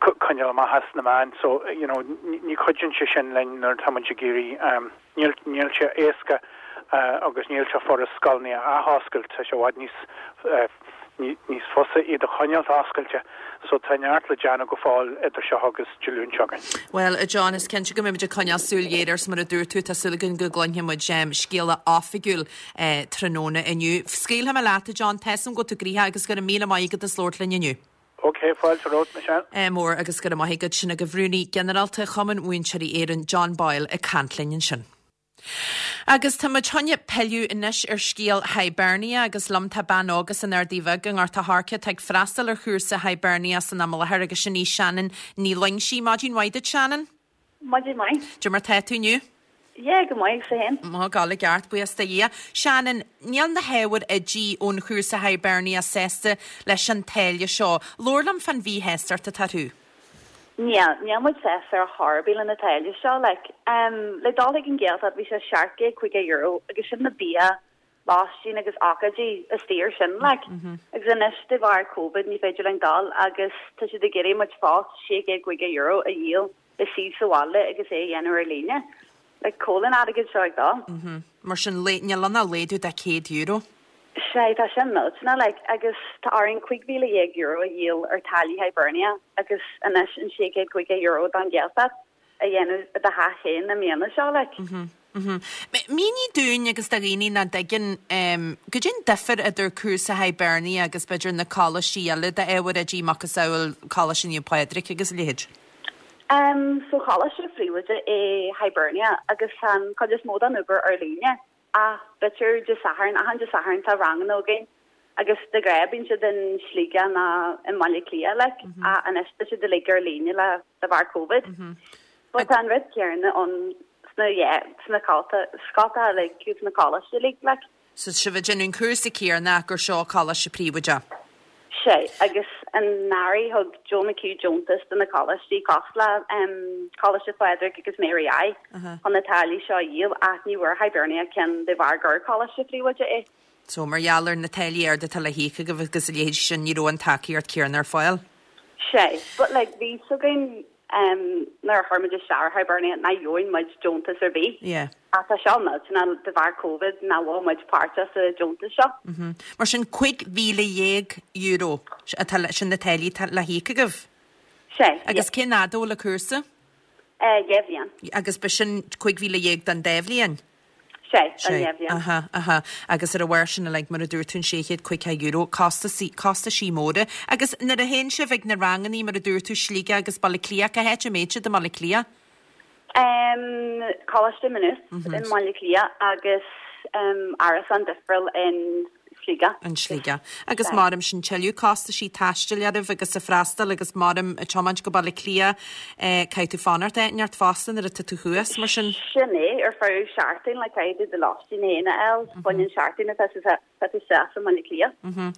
coinneáil amach as na meáin so you know ní chuidíonn sé sin linn nuair atá muid ag iarraidh níl níl sé éasca agus níl sé furast scoileanna a athoscailt, tá sé i bhfad níos níos fusa iad a choinneáil oscailte so tá neart le déanamh go fóill idir seo agus Dé Luain seo chugainn. Bhuel, a John, is cinnte go mbeimid ag coinneáil súil ghéar air mar a dúirt tú, tá súil againn go gcluinfidh muid scéala oifigiúil tráthnóna inniu. Scaoilfidh mé leat, a John, tá a fhios agam go bhfuil tú gnoitheach agus go raibh míle maith agat as labhairt linn inniu. Ok, fáilte romhat, Michelle. Mór agus go raibh maith agat sin agaibh Rúnaí Ginearálta Chumann Múinteoirí Éireann, John Boyle ag caint linn ansin. Agus tá muid chun pilleadh anois ar scéal Hibernia agus liom tá bean óg as an Ardaidh Bheag i nGort a' Choirce atá ag freastal ar chúrsa Hibernia san am i láthair agus sin í Shannon Ní Loingsigh. Maidin mhaith duit, Shannon. Maidin mhaith. Cad é mar tá tú inniu? Yeah, go maith, agus tú féin. Má gal i gceart, buíochas do Dhia. Shannon, níl na hábhair oidí ón chúrsa Hibernia sásta leis an táille seo. Labhair liom fán mhíshástacht atá orthu. Níl, níl muid sásta ar chor ar bith le na táillí seo, like, um, le dul chuig an Ghaeltacht bhí sé seacht gcéad caoga euro agus sin na bia, lóistín agus ócáidí istigh air sin, like. Mm -hmm. Agus anois de bharr Covid ní féidir linn dul agus tá siad ag iarraidh muid fós sé chéad caoga euro a dhíol le suí sa bhaile agus é a dhéanamh ar líne. Like, cá bhfuil an airgead seo ag dul. Mm -hmm. Mar sin níl ann ach laghdú de céad euro. Sé tá sin millteanach like, agus tá orainn cúig mhíle dhéag euro a dhíol ar táillí Hibernia agus anois an sé chéad caoga euro don Ghaeltacht a dhéanamh i do theach féin na míonna seo like. Mm -hmm. Mm -hmm. Mínigh dúinn agus do dhaoine nach dtuigeann um, goidé an difear idir cúrsa Hibernia agus b'fhéidir na coláistí eile d'ábhair oidí macasamhail Coláiste Naomh Pádraig agus a leithéid. Um, so coláiste príobháideach é Hibernia agus tá an chuid is mó den obair ar líne. Ach b'fhéidir Dé Sathairn, achan Dé Sathairn tá ranganna againn agus de ghnáth bíonn siad in Sligeach nó i mBaile Átha Cliath like, mm -hmm. anois tá siad uilig ar líne le de bharr Covid. Mm -hmm. But tá an rud céanna ann sna yeah, sna scoltacha like, sna coláistí uilig like. So sibh ag déanamh an cúrsa céanna gur seo coláiste príobháideach. Sé agus anuraidh thug Joe McHugh deontas do na coláistí cosúil le um, Coláiste Phádraig agus Mary I chun na táillí seo a dhíol ach ní bhfuair Hibernia ceann de bharr gur coláiste príobháideach é. So mar gheall ar na táillí arda atá le híoc agaibh agus a leithéid sin ní raibh an tacaíocht chéanna ar fáil. Sé, but like bhí a fhios againn um, nuair a chuir muid isteach ar Hibernia nach bhfaigheadh muid deontas ar bith. Yeah. Ach tá seo millteanach de bharr Covid nach bhfuil muid páirteach sa deontas seo. Mm -hmm. Mar sin cúig mhíle dhéag euro atá le sin na táillí atá le híoc agaibh? Sé. Agus cén fhad a bhfuil an cúrsa? Uh, dhá bhliain. Agus b'shin cúig mhíle dhéag don dá bhliain? Sé, don dhá bhliain. Aha, aha. Agus ar a bharr sin uilig, mar a dúirt tú, an sé chéad caoga euro, costasaí, costaisí móra. Agus nuair a théann sibh ag na rangannaí, mar a dúirt tú, Sligeach agus Baile Átha Cliath, cá háit a mbíonn sibh i mBaile Átha Cliath? Um, Coláiste Maynooth mm -hmm. i mBaile Átha Cliath agus um, árasán difriúil in Sligeach. In Sligeach. Agus maram sin tuilleadh costaisí taistil oraibh agus a freastal agus maram ag tiomáint go Baile Átha Cliath eh, caithfidh tú fanacht áit inteacht fosta nuair atá tú thuas mar sin. Sin é ar feadh seachtain le caithfidh tú do lóistín féin a fháil fá choinne an seachtain atá tá tú isteach i mBaile Átha Cliath. Mhm.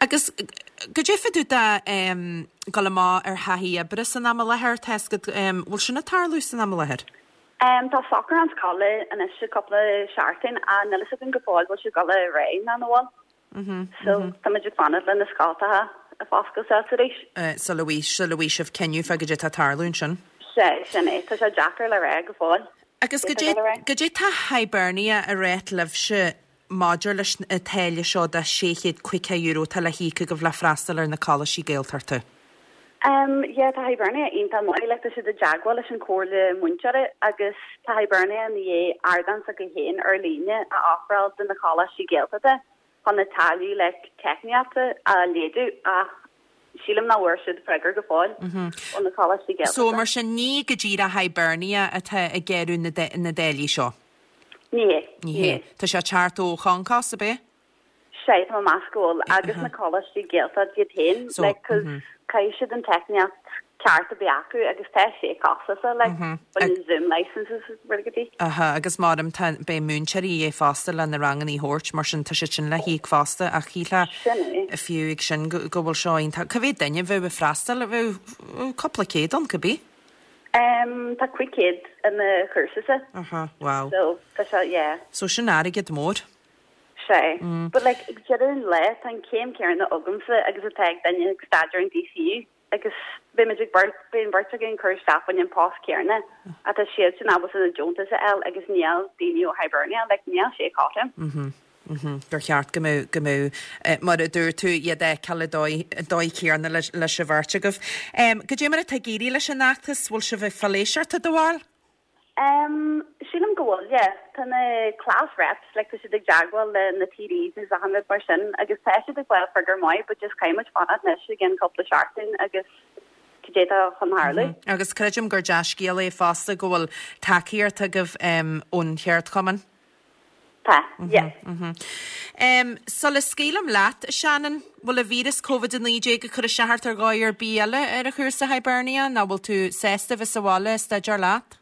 Agus goidé fá dtaobh de um, dul amach ar thaithí oibre san am i láthair tá a fhios agat um, bhfuil sin ag tarlú san am i láthair? Um, tá socrúchán scoile anois cúpla seachtain a níl a fhios againn go fóill bhfuil sé dul ar aghaidh nó nach bhfuil. Mm -hmm, so mm -hmm. tá muid ag fanacht le na scoltacha a foscailt arís. Uh, sula bhfaighidh sula bhfaighidh sibh cinneadh fá goidé atá ag tarlú ansin. Sé sin é tá sé deacair le rá go fóill. Agus goidé goidé tá Hibernia ag rá libhse maidir leis an táille seo de sé chéad caoga euro atá le híoc agaibh le freastal ar na coláistí Gaeltachta? Um, yeah, tá Hibernia iontach maith le tá siad i dteagmháil leis an Comhairle Múinteoirí agus tá Hibernia i ndiaidh ardán s'acu féin ar líne a ofráil do na coláistí Gaeltachta chun na táillí le teicníochta a laghdú ach sílim nach bhfuair siad freagra go fóill ó na coláistí Gaeltachta. So mar sin ní go díreach Hibernia atá ag gearradh na na dtáillí seo? Ní hé. Ní hé. Tá sé ag teacht ó Concos ab é? Sé tá meas go bhfuil agus na coláistí Gaeltachta iad féin like cos caithfidh siad an teicníocht ceart a bheith acu agus tá sé costasach like mm Zoom licenses rudaí. Aha, agus maram tá beidh múinteoirí é fosta le na ranganna a thabhairt mar sin tá siad sin le híoc fosta ach shílfeá fiú ag sin go bhfuil seo iontach. Cá mhéad duine a bheadh ag freastal a bheadh cúpla céad ann cibé? Um, tá cúig chéad i mo chúrsa. Aha, wow. So tá sé yeah. So sin airgead mór. Sé. Mm. But like ag deireadh an lae tá an céim céanna agamsa agus atá ag duine ag staidéar in DCU agus beimid ag beirt beidh an bheirt againn ag cur isteach fá choinne an post céanna atá siad sin ábalta na deontais a fháil agus níl daoine ó Hibernia like níl sé cothrom. Mm -hmm. Mm -hmm. Gur cheart go mbeadh go mbeadh eh, mar a dúirt tú iad a fheiceáil an dóigh chéanna leis leis an bheirt agaibh. Um, goidé mar atá ag éirí leis an fheachtas bhfuil sibh ag fáil éisteachta do bharúil? Um, sílim go bhfuil, yeah. Tá na class reps, like, tá siad ag teagmháil le na TDs agus achan rud mar sin, agus tá siad ag fáil freagra maith, but just caithfidh muid fanacht anois i gceann cúpla seachtain agus cad é atá chun tarlú. Mm -hmm. Agus creidim gur dea-scéal é fosta go bhfuil tacaíocht agaibh um, ón cheardchumann. Tá, yeah. Mm -hmm. Um, sula scaoilim leat, Shannon, bhfuil an víreas Covid a naoi déag ag cur isteach ort ar dhóigh ar bith eile ar an chúrsa Hibernia, nó bhfuil tú sásta bheith sa bhaile ag staidéar leat?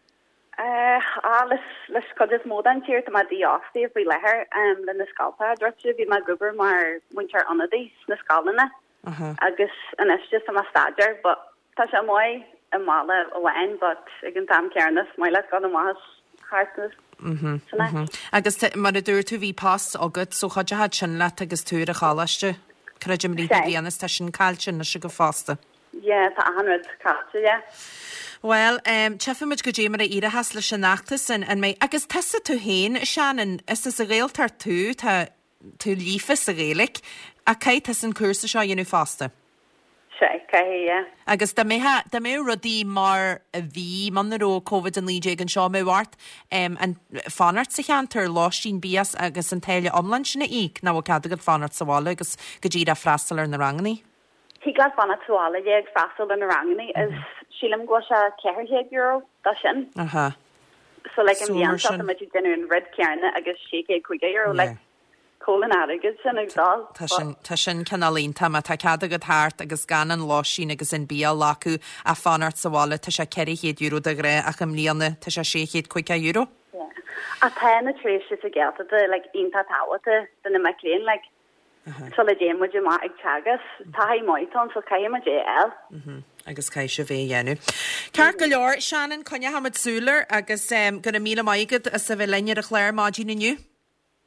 Uh, ah, leis leis cuid is mó den tír tá mé dífhostaithe faoi láthair um, le na scoltacha druidte bhí mé ag obair mar mhúinteoir ionadaí sna scoileanna uh -huh. agus anois just tá mé ag staidéar but tá sé maith i mbaile amháin but ag an t-am céanna is maith leat dul amach thart Mm -hmm, mm -hmm. Agus mar a dúirt tú bhí post agat so chuidigh sin leat agus tú ar an choláiste creidim i rith na bliana tá sin caillte anois agat fosta. Yeah, tá achan rud caillte, yeah. Well, um, tchífimid goidé mar a éireochas leis an fheachtas an, an mbeidh agus tusa tú féin Shannon is as an Ghaeltacht tú tá tú líofa sa Ghaeilge ach caithfidh tusa an cúrsa seo a dhéanamh fosta. Sé, caithfidh, yeah. Agus dá mbeadh dá mbeadh rudaí mar a bhí muna raibh Covid a naoi déag anseo mbeadh ort um, an fanacht sa cheantar lóistín bia agus an táille iomlán sin a íoc nó bhfuil cead agat fanacht sa bhaile agus go díreach freastal ar na ranganna? Thig leat fanacht sa bhaile ag freastal ar na ranganna is sílim go bhfuil sé ceithre chéad euro dá sin. Aha. So like an So bhliain mar seo sin. tá muid ag déanamh an rud céanna agus sé chéad caoga euro Yeah. like cá bhfuil an airgead sin ag dul. Tá sin tá sin cineál iontach má tá cead agat thart agus gan an lóistín agus an bia a ghlacadh a fanacht sa bhaile tá sé ceithre chéad euro de ghnáth ach i mbliana tá sé sé chéad caoga euro. Yeah. A tá na tréimhse sa Ghaeltacht like iontach tábhachtach do na mic léinn like sula dtéann muid amach ag teagasc taithí maith ann so caithfidh muid é a fháil. Mhm. Agus caithfidh sibh é a dhéanamh. Ceart go leor Shannon coinneoidh muid súil air agus um, go raibh míle maith agat as a bheith linn ar an chlár maidin inniu.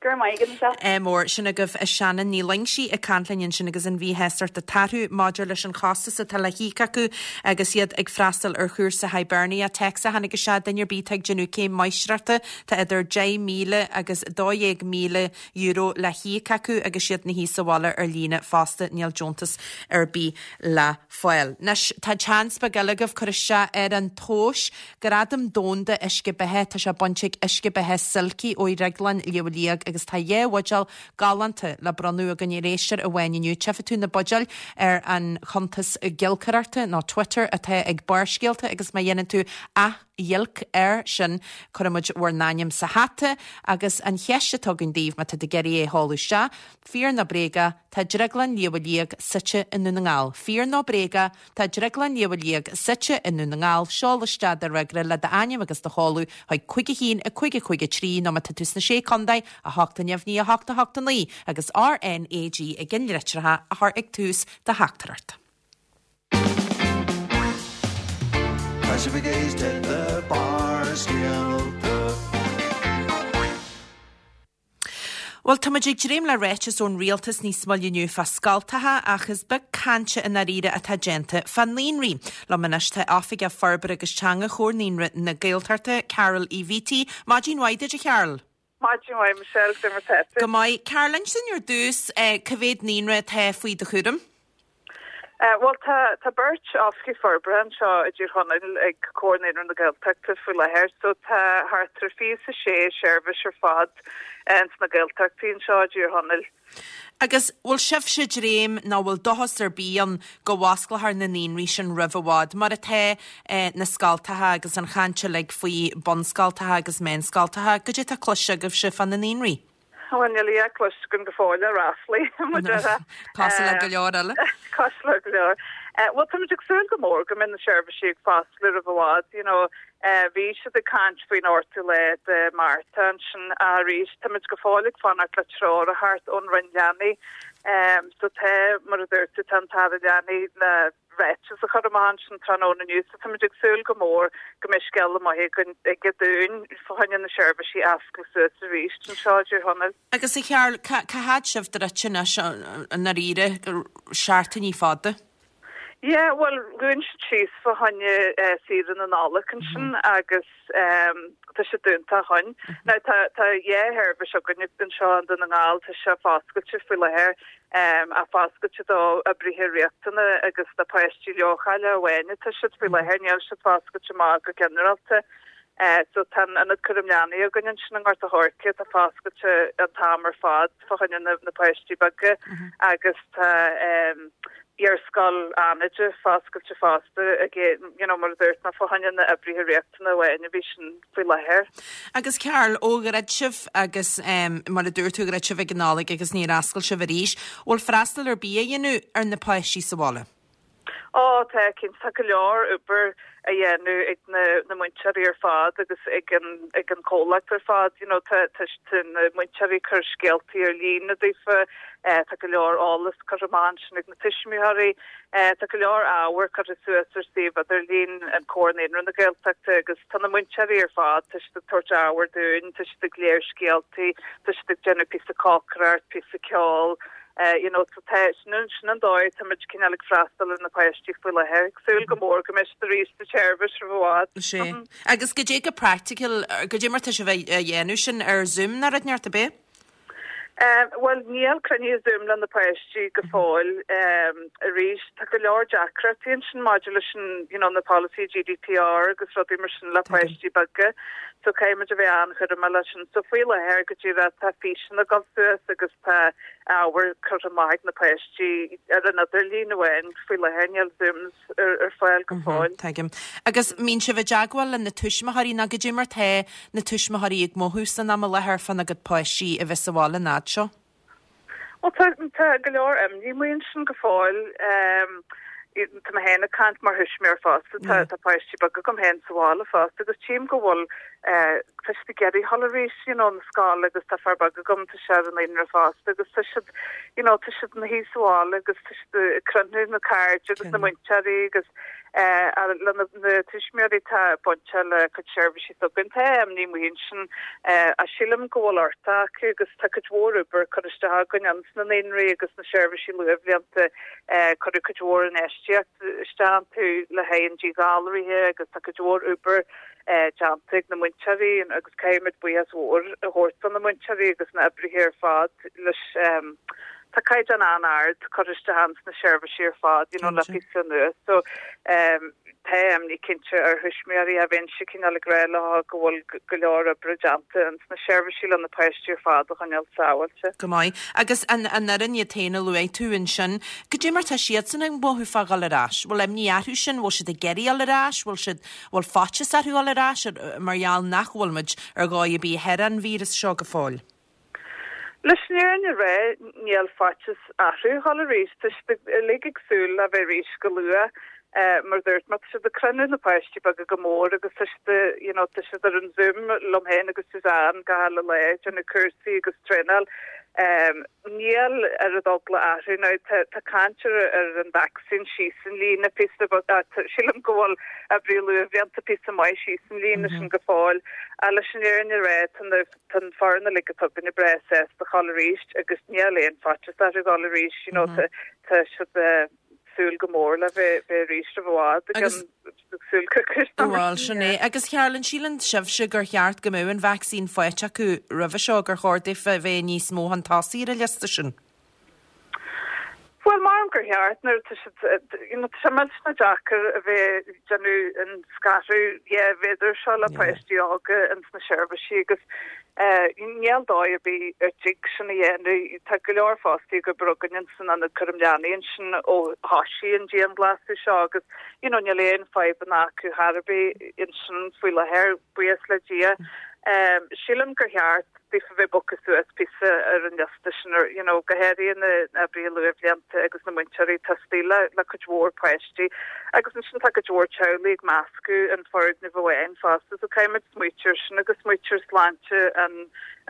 Go raibh maith agat, Michelle. Ádh mór. Sin agaibh Shannon Ní Loingsigh ag caint linn ansin agus an mhíshástacht atá orthu maidir leis an chostas atá le híoc acu agus iad ag freastal ar chúrsa Hibernia. Téacs a tháinig isteach duine ar bith atá ag déanamh céim máistreachta tá idir deich míle agus dó dhéag míle euro le híoc acu agus iad ina shuí sa bhaile ar líne fosta níl deontas ar bith le fáil. Anois tá seans beag eile agaibh cur isteach ar an tomhas Gradam Domhanda Uisce Beatha tá sé bainte ag Uisce Beatha Silky ó Dhrioglann Shliabh Liag agus tá dhá bhuidéal galánta le bronnadh againn ar éisteoir amháin inniu. Tchífidh tú na buidéil ar an chuntas giolcaireachta nó Twitter atá ag Barrscéalta agus má dhéanann tú athghiolc air sin cuirfimid bhur n-ainm sa hata agus an cheist atá againn daoibh má tá tú ag iarraidh é a sheoladh isteach, Fíor nó bréaga, tá Drioglann Shliabh Liag suite i nDún na nGall. Fíor nó bréaga, tá Drioglann Shliabh Liag suite i nDún na nGall. Seol isteach do fhreagra le d'ainm agus do sheoladh chuig cúig a haon a cúig a cúig a trí nó má tá tú sna Sé Chontae, a hocht a neamhní a hocht a hocht a naoi agus RNAG i gceannlitreacha a chur ag tús do theachtaireacht. Tá sibh ag éisteacht le Barrscéalta. Bhuel, tá muid ag dréim le ráiteas ón rialtas níos moille inniu fá scoltacha ach is beag cainte i ndáiríre atá déanta fá naíonraí. Liom anois tá Oifigeach Forbartha agus Teanga Chomhar Naíonraí na Gaeltachta, Carol Uí Bhíty. Maidin mhaith duit, a Charol. Maidin mhaith, Michelle, cad é mar atá tú? Go maith. Carol, inis dúinn ar dtús cá mhéad naíonra atá faoi do chúram? Bhuel, tá tá beirt oifigigh forbartha anseo i dTír Chonaill ag Comhar Naíonraí na Gaeltachta faoi láthair, so tá thart ar fiche is a sé seirbhís ar fad ins na Gaeltachtaí anseo i dTír Chonaill. Agus bhfuil sibhse ag dréim nó bhfuil dóchas ar bith ann go bhfosclófar na naíonraí sin roimh i bhfad, mar atá na scoltacha agus an chaint uilig faoi bunscoltacha agus meánscoltacha, goidé atá cloiste agaibhse fá na naíonraí? Bhuel, níl a dhath cloiste againn go fóill ach ráflaí, mar a déarfá. Cosúil le go leor eile. Cosúil le go leor. Bhuel, táimid ag súil go mór go mbeidh na seirbhísí ag foscladh roimh i bhfad, you know. Bhí siad ag caint faoin ochtú lá de Márta ansin arís. Táimid go fóill ag fanacht le treoir a theacht ón Roinn Leanaí. So tá, mar a dúirt tú, tá an tAire Leanaí le ráiteas a chur amach ansin tráthnóna inniu so táimid ag súil go mór go mbeidh scéala maith againn aige dúinn fá choinne na seirbhísí a oscailt suas arís anseo i dTír Chonaill. Agus a Charol, cá fhad sibh druidte anois i ndáiríre, seachtainí fada? Yeah, bhuel, dhún siad síos fá choinne saoire na Nollag ansin agus tá sé dúnta ó shoin. Now tá tá dhá sheirbhís againn anseo i nDún na nGall, tá sé foscailte faoi láthair, ach foscailte do oibrithe riachtanacha agus do pháistí leochaileacha amháin atá siad faoi láthair, níl siad foscailte amach go ginearálta. So tá an Ionad Cúram Leanaí againn ansin i nGort a' Choirce, tá foscailte an t-am ar fad fá choinne na páistí beaga agus tá Iarscoil Fhánaide foscailte fosta again, you know, mar a dúirt mé, fá choinne na oibrithe riachtanacha amháin a bhí sin faoi láthair. Agus Carol, ó dhruid sibh agus mar a dúirt tú, dhruid sibh ag an Nollaig agus níor oscail sibh arís, bhfuil freastal ar bith á dhéanamh ar na páistí sa bhaile? Ó, tá, cinnte, tá go leor obair á dhéanamh ag na na múinteoirí ar fad agus ag an ag an comhlacht ar fad, you know, tá tá tá na múinteoirí ag cur scéaltaí ar líne daofa, eh, tá go leor eolas curtha amach ansin ag na tuismitheoirí, eh, tá go leor ábhar curtha suas ar suíomh idirlín an Comhar Naíonraí na Gaeltachta agus tá na múinteoirí ar fad, tá siad ag tabhairt ábhar dúinn, tá siad ag léamh scéaltaí, tá siad ag déanamh píosa cócaireacht, píosa ceoil, you know, so tá, sin an, sin an dóigh tá muid cineál ag freastal ar na páistí faoi láthair, ag súil go mór go mbeidh siad arís sa tseirbhís roimh i bhfad. Sea. Agus goidé go practical, goidé mar tá sibh á dhéanamh sin ar Zoom nó rud inteacht ab é? Bhuel, níl cruinnithe Zoom le na páistí go fóill. Arís, tá go leor deacrachtaí ansin maidir leis an, you know, na polasaí GDPR agus rudaí mar sin le páistí beaga. So caithfidh muid a bheith an-chúramach leis sin. So faoi láthair go díreach tá físeanna ag dul suas agus tá ábhar curtha amach ag na páistí ar an idirlíon amháin faoi láthair, níl Zooms ar ar fáil go fóill. Tuigim. Agus mbíonn sibh i dteagmháil le na tuismitheoirí nó goidé mar tá na tuismitheoirí ag mothú san am i láthair fána gcuid páistí a bheith sa bhaile an fhad seo? Bhuel tá tá go leor imní amuigh ansin go fóill. Tá mé féin ag caint mar thuismitheoir fosta, tá tá páistí beaga agam féin sa bhaile fosta agus tchím go bhfuil tá siad ag iarraidh dhul arís you know na scoile agus tá fear beag agam tá sé ar an naíonra fosta agus tá siad you know tá siad ina shuí sa bhaile agus tá siad ag cruinniú na cairde agus na múinteoirí agus Le na tuismitheoirí atá bainte le cuid seirbhísí s'againn tá imní amuigh ansin ach sílim go bhfuil uchtach acu agus tá cuid mhór obair curtha isteach againn ins na naíonraí agus na seirbhísí luathbhlianta cuireadh cuid mhór infheistíocht isteach iontu le haghaidh an díghalraithe agus tá cuid mhór obair déanta ag na múinteoirí agus caithfimid buíochas mhór a thabhairt do na múinteoirí agus na oibrithe ar fad leis tá caighdeán an-ard curtha isteach ins na seirbhísí ar fad you know le píosa anuas so tá imní cinnte ar thuismitheoirí a bheinnse cineál ag rá leo go bhfuil go leor oibre déanta ins na seirbhísí le na páistí ar fad a choinneáil sábháilte. Go maith. Agus an an fhoireann iad féin a luaigh tú ansin, goidé mar tá siadsan ag mothú fá dhul ar ais? Bhfuil imní orthu sin? Bhfuil siad ag iarraidh dhul ar ais? Bhfuil siad bhfuil faitíos orthu dhul ar ais mar gheall nach bhfuil muid ar dhóigh ar bith thar an víreas seo go fóill? Leis an fhírinne a rá, níl faitíos orthu dhul arís. Tá siad uilig ag súil le bheith arís go luath. Mar a dúirt mé, tá siad ag cruinniú na páistí beaga go mór agus tá siad, you know, tá siad ar an Zoom liom féin agus Suzanne gach uile lá ag déanamh cúrsaí agus traenáil. Níl oiread eagla orthu. Now tá tá caint ar ar an vacsaín síos an líne píosa beag, sílim go bhfuil oibrithe luathbhlianta píosa maith síos an líne sin go fóill. Ach leis an fhírinne a rá, tá na Tá an foireann uilig atá againne breá sásta dhul arís agus níl aon faitíos orthu dhul arís, you know, tá tá siad ag súil go mór le bheith bheith arís roimh i bhfad Agus ag súil coicís Bhuel, sin é. Agus Carol, an síleann sibhse gur cheart go mbeadh an vacsaín faighte acu roimhe seo, gur chóir daofa bheith níos mó chun tosaigh ar an liosta sin? Bhuel, maram gur cheart nuair atá siad, you know, tá sé millteanach deacair a bheith ag déanamh an scaradh dhá mhéadar seo le páistí óga ins na seirbhísí agus níl dóigh ar bith ar dtig sin a dhéanamh. Tá go leor fostaí ag obair againn ins an ionad cúram leanaí ansin ó thoisigh an dianghlasáil seo agus, you know, níl aon fadhbanna acu chor ar bith ansin faoi láthair, buíochas le Dia. Sílim gur cheart daofa bheith bogtha suas píosa ar an liosta sin, you know, go háirithe na oibrithe luathbhlianta agus na múinteoirí atá istigh le le cuid mhór páistí agus ansin tá cuid mhór teaghlaigh ag meascadh an foirgneamh amháin fosta so caithfimid smaoitiú air sin agus smaoitiú ar sláinte an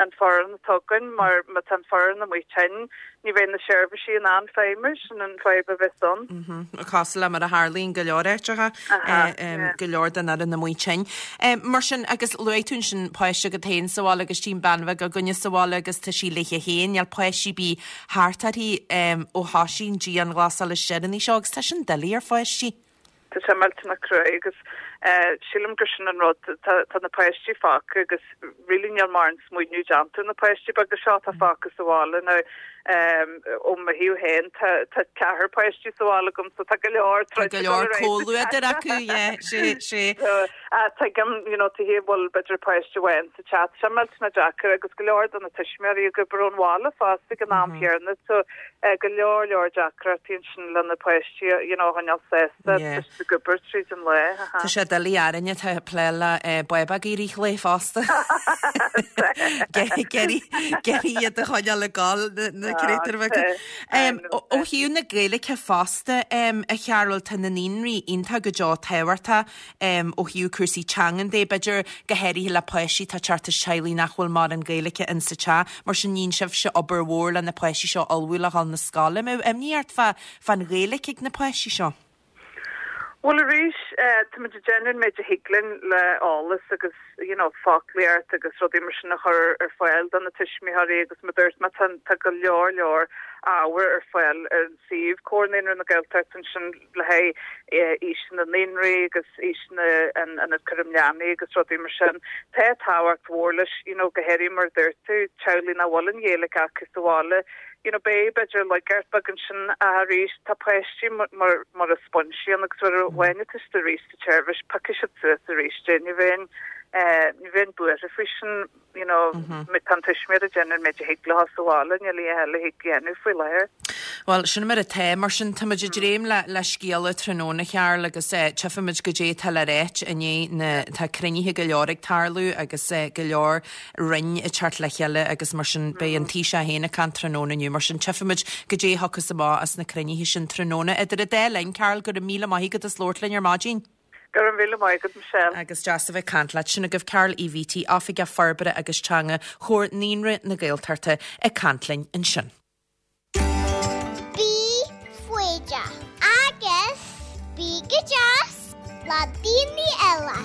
an foireann atá againn mar má tá an foireann amuigh tinn ní bheidh na seirbhísí in ann feidhmiú, sin an fadhb a bheas ann. Cosúil le mar a tharlaíonn go leor áiteacha, go leor den fhoireann amuigh tinn. Mar sin, agus luaigh tú ansin páiste agat féin sa bhaile agus tchím bean bheag againne sa bhaile agus tá sí léithe féin, níl páistí ar bith thart uirthi ó thoisigh an dianghlasáil is deireanaí seo agus tá sin doiligh ar pháistí. Tá sé millteanach cruaidh agus sílim gur sin an rud, tá tá na páistí fágtha agus really níl mórán smaoineamh déanta ar na páistí beaga seo atá fágtha sa bhaile now ó mo thaobh féin tá tá ceathrar páistí sa bhaile agam so tá go leor Tá go leor comhluadar acu, yeah, sé sé. So tuigim you know taobh thiar bhfuil b'fhéidir páiste amháin sa teach, tá sé millteanach deacair agus go leor de na tuismitheoirí ag obair ón bhaile fosta ag an am chéanna so go leor leor deacrachtaí ansin le na páistí you know a choinneáil sásta. Yeah. Ag obair tríd an lá. Tá sé doiligh orainne atá ag plé le bábóg i rith an lae fosta. Ag iarraidh iad a choinneáil ag gol na créatúir bheaga. Ó thaobh na Gaeilge fosta, a Chearúil, tá na naíonraí iontach go deo tábhachtach ó thaobh cúrsaí teangan de, b'fhéidir go háirithe le páistí atá ag teacht as teaghlaigh nach bhfuil mórán Gaeilge in sa teach. Mar sin níonn sibhse obair mhór le na páistí seo a ullmhú le dhul na scoile. An mbeadh imní ort fá fán Ghaeilge ag na páistí seo? Bhuel arís, táimid ag déanamh an méid a thig linn le eolas agus you know foclaíocht agus rudaí mar sin a chur ar fáil do na tuismitheoirí agus mar a dúirt mé tá tá go leor leor ábhar ar fáil ar an suíomh Comhar Naíonraí na Gaeltachta ansin le haghaidh aoiseanna naíonraí agus aoiseanna an ionad cúram leanaí agus rudaí mar sin. Tá tábhacht mhór leis you know go háirithe mar a dúirt tú teaghlaigh nach bhfuil an Ghaeilge acu sa bhaile you know beidh b'fhéidir laigeacht beag ansin ach arís tá páistí mar mar sponsí agus nuair a bhainfidh tú arís sa tseirbhís piocfaidh siad suas arís é ní bheinn ní bheinn buartha faoi sin you know má tá an tuismitheoir ag déanamh an méid a thig leo sa bhaile níl a dhath eile a thig dhéanamh faoi láthair. Bhuel, sin mar atá. Mar sin, táimid ag dréim le le scéala tráthnóna, Chearl, agus tchífimid goidé atá le ráit i ndiaidh na tá cruinnithe go leor ag tarlú agus go leor roinn ag teacht le chéile agus mar sin beidh an Taoiseach féin ag caint tráthnóna inniu. Mar sin, tchífimid goidé a thiocfas amach as na cruinnithe sin tráthnóna. Idir an dá linn, Carol, go raibh míle maith agat as labhairt linn ar maidin. Go raibh míle maith agat, Michelle. Agus deas a bheith ag caint leat. Sin agaibh Carol Uí Bhíty, Oifigeach Forbartha agus Teanga Chomhar Naíonraí na Gaeltachta ag caint linn ansin. Bí foighdeach agus bí go deas. le daoine eile.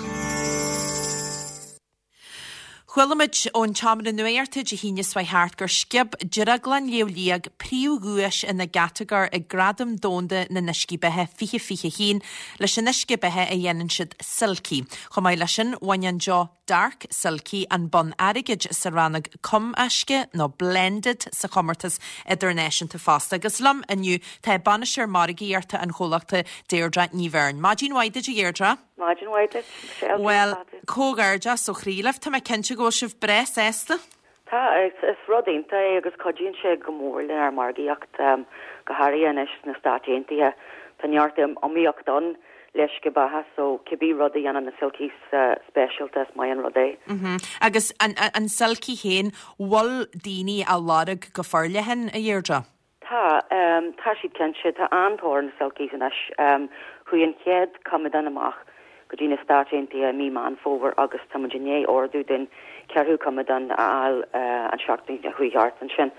Chuala muid ón tseomra nuachta Dé hAoine seo thart gur sciob Drioglann Shliabh Liag príomhdhuais ina gcatagóir ag Gradaim Domhanda na nUiscí Beatha fiche fiche haon leis an uisce beatha a dhéanann siad Silky. Chomh maith leis sin, bhain an deoch Dark Silky an bonn airgid sa rannóg cumaiscthe nó blended sa chomórtas idirnáisiúnta fosta. Agus liom inniu tá bainisteoir margaíochta an chomhlachta Deirdre Ní Bheirn. Maidin mhaith duit a Dheirdre? Maidin mhaith duit, Michelle. Well, comhghairdeas ó chroí libh, tá mé cinnte go bhfuil sibh breá sásta? Tá, is, is rud iontach é agus cuidíonn sé go mór lenár margaíocht, um, go háirithe anois sna Stáit Aontaithe. Tá neart iomaíocht ann le uisce beatha, so cibé rud a dhéanann na Silkies uh, speisialta is maith an rud é. Mm -hmm. Agus an, an, an Silky féin, bhfuil daoine á lorg go forleathan a Dheirdre? Tá, um, tá siad cinnte, tá an-tóir ar na Silkies anois. Um, chuaigh an chéad coimeádán amach go dtí na Stáit Aontaithe mí Meán Fómhair agus tá muid i ndiaidh ordú den ceathrú coimeádán a fháil uh, an seachtain a chuaigh thart ansin.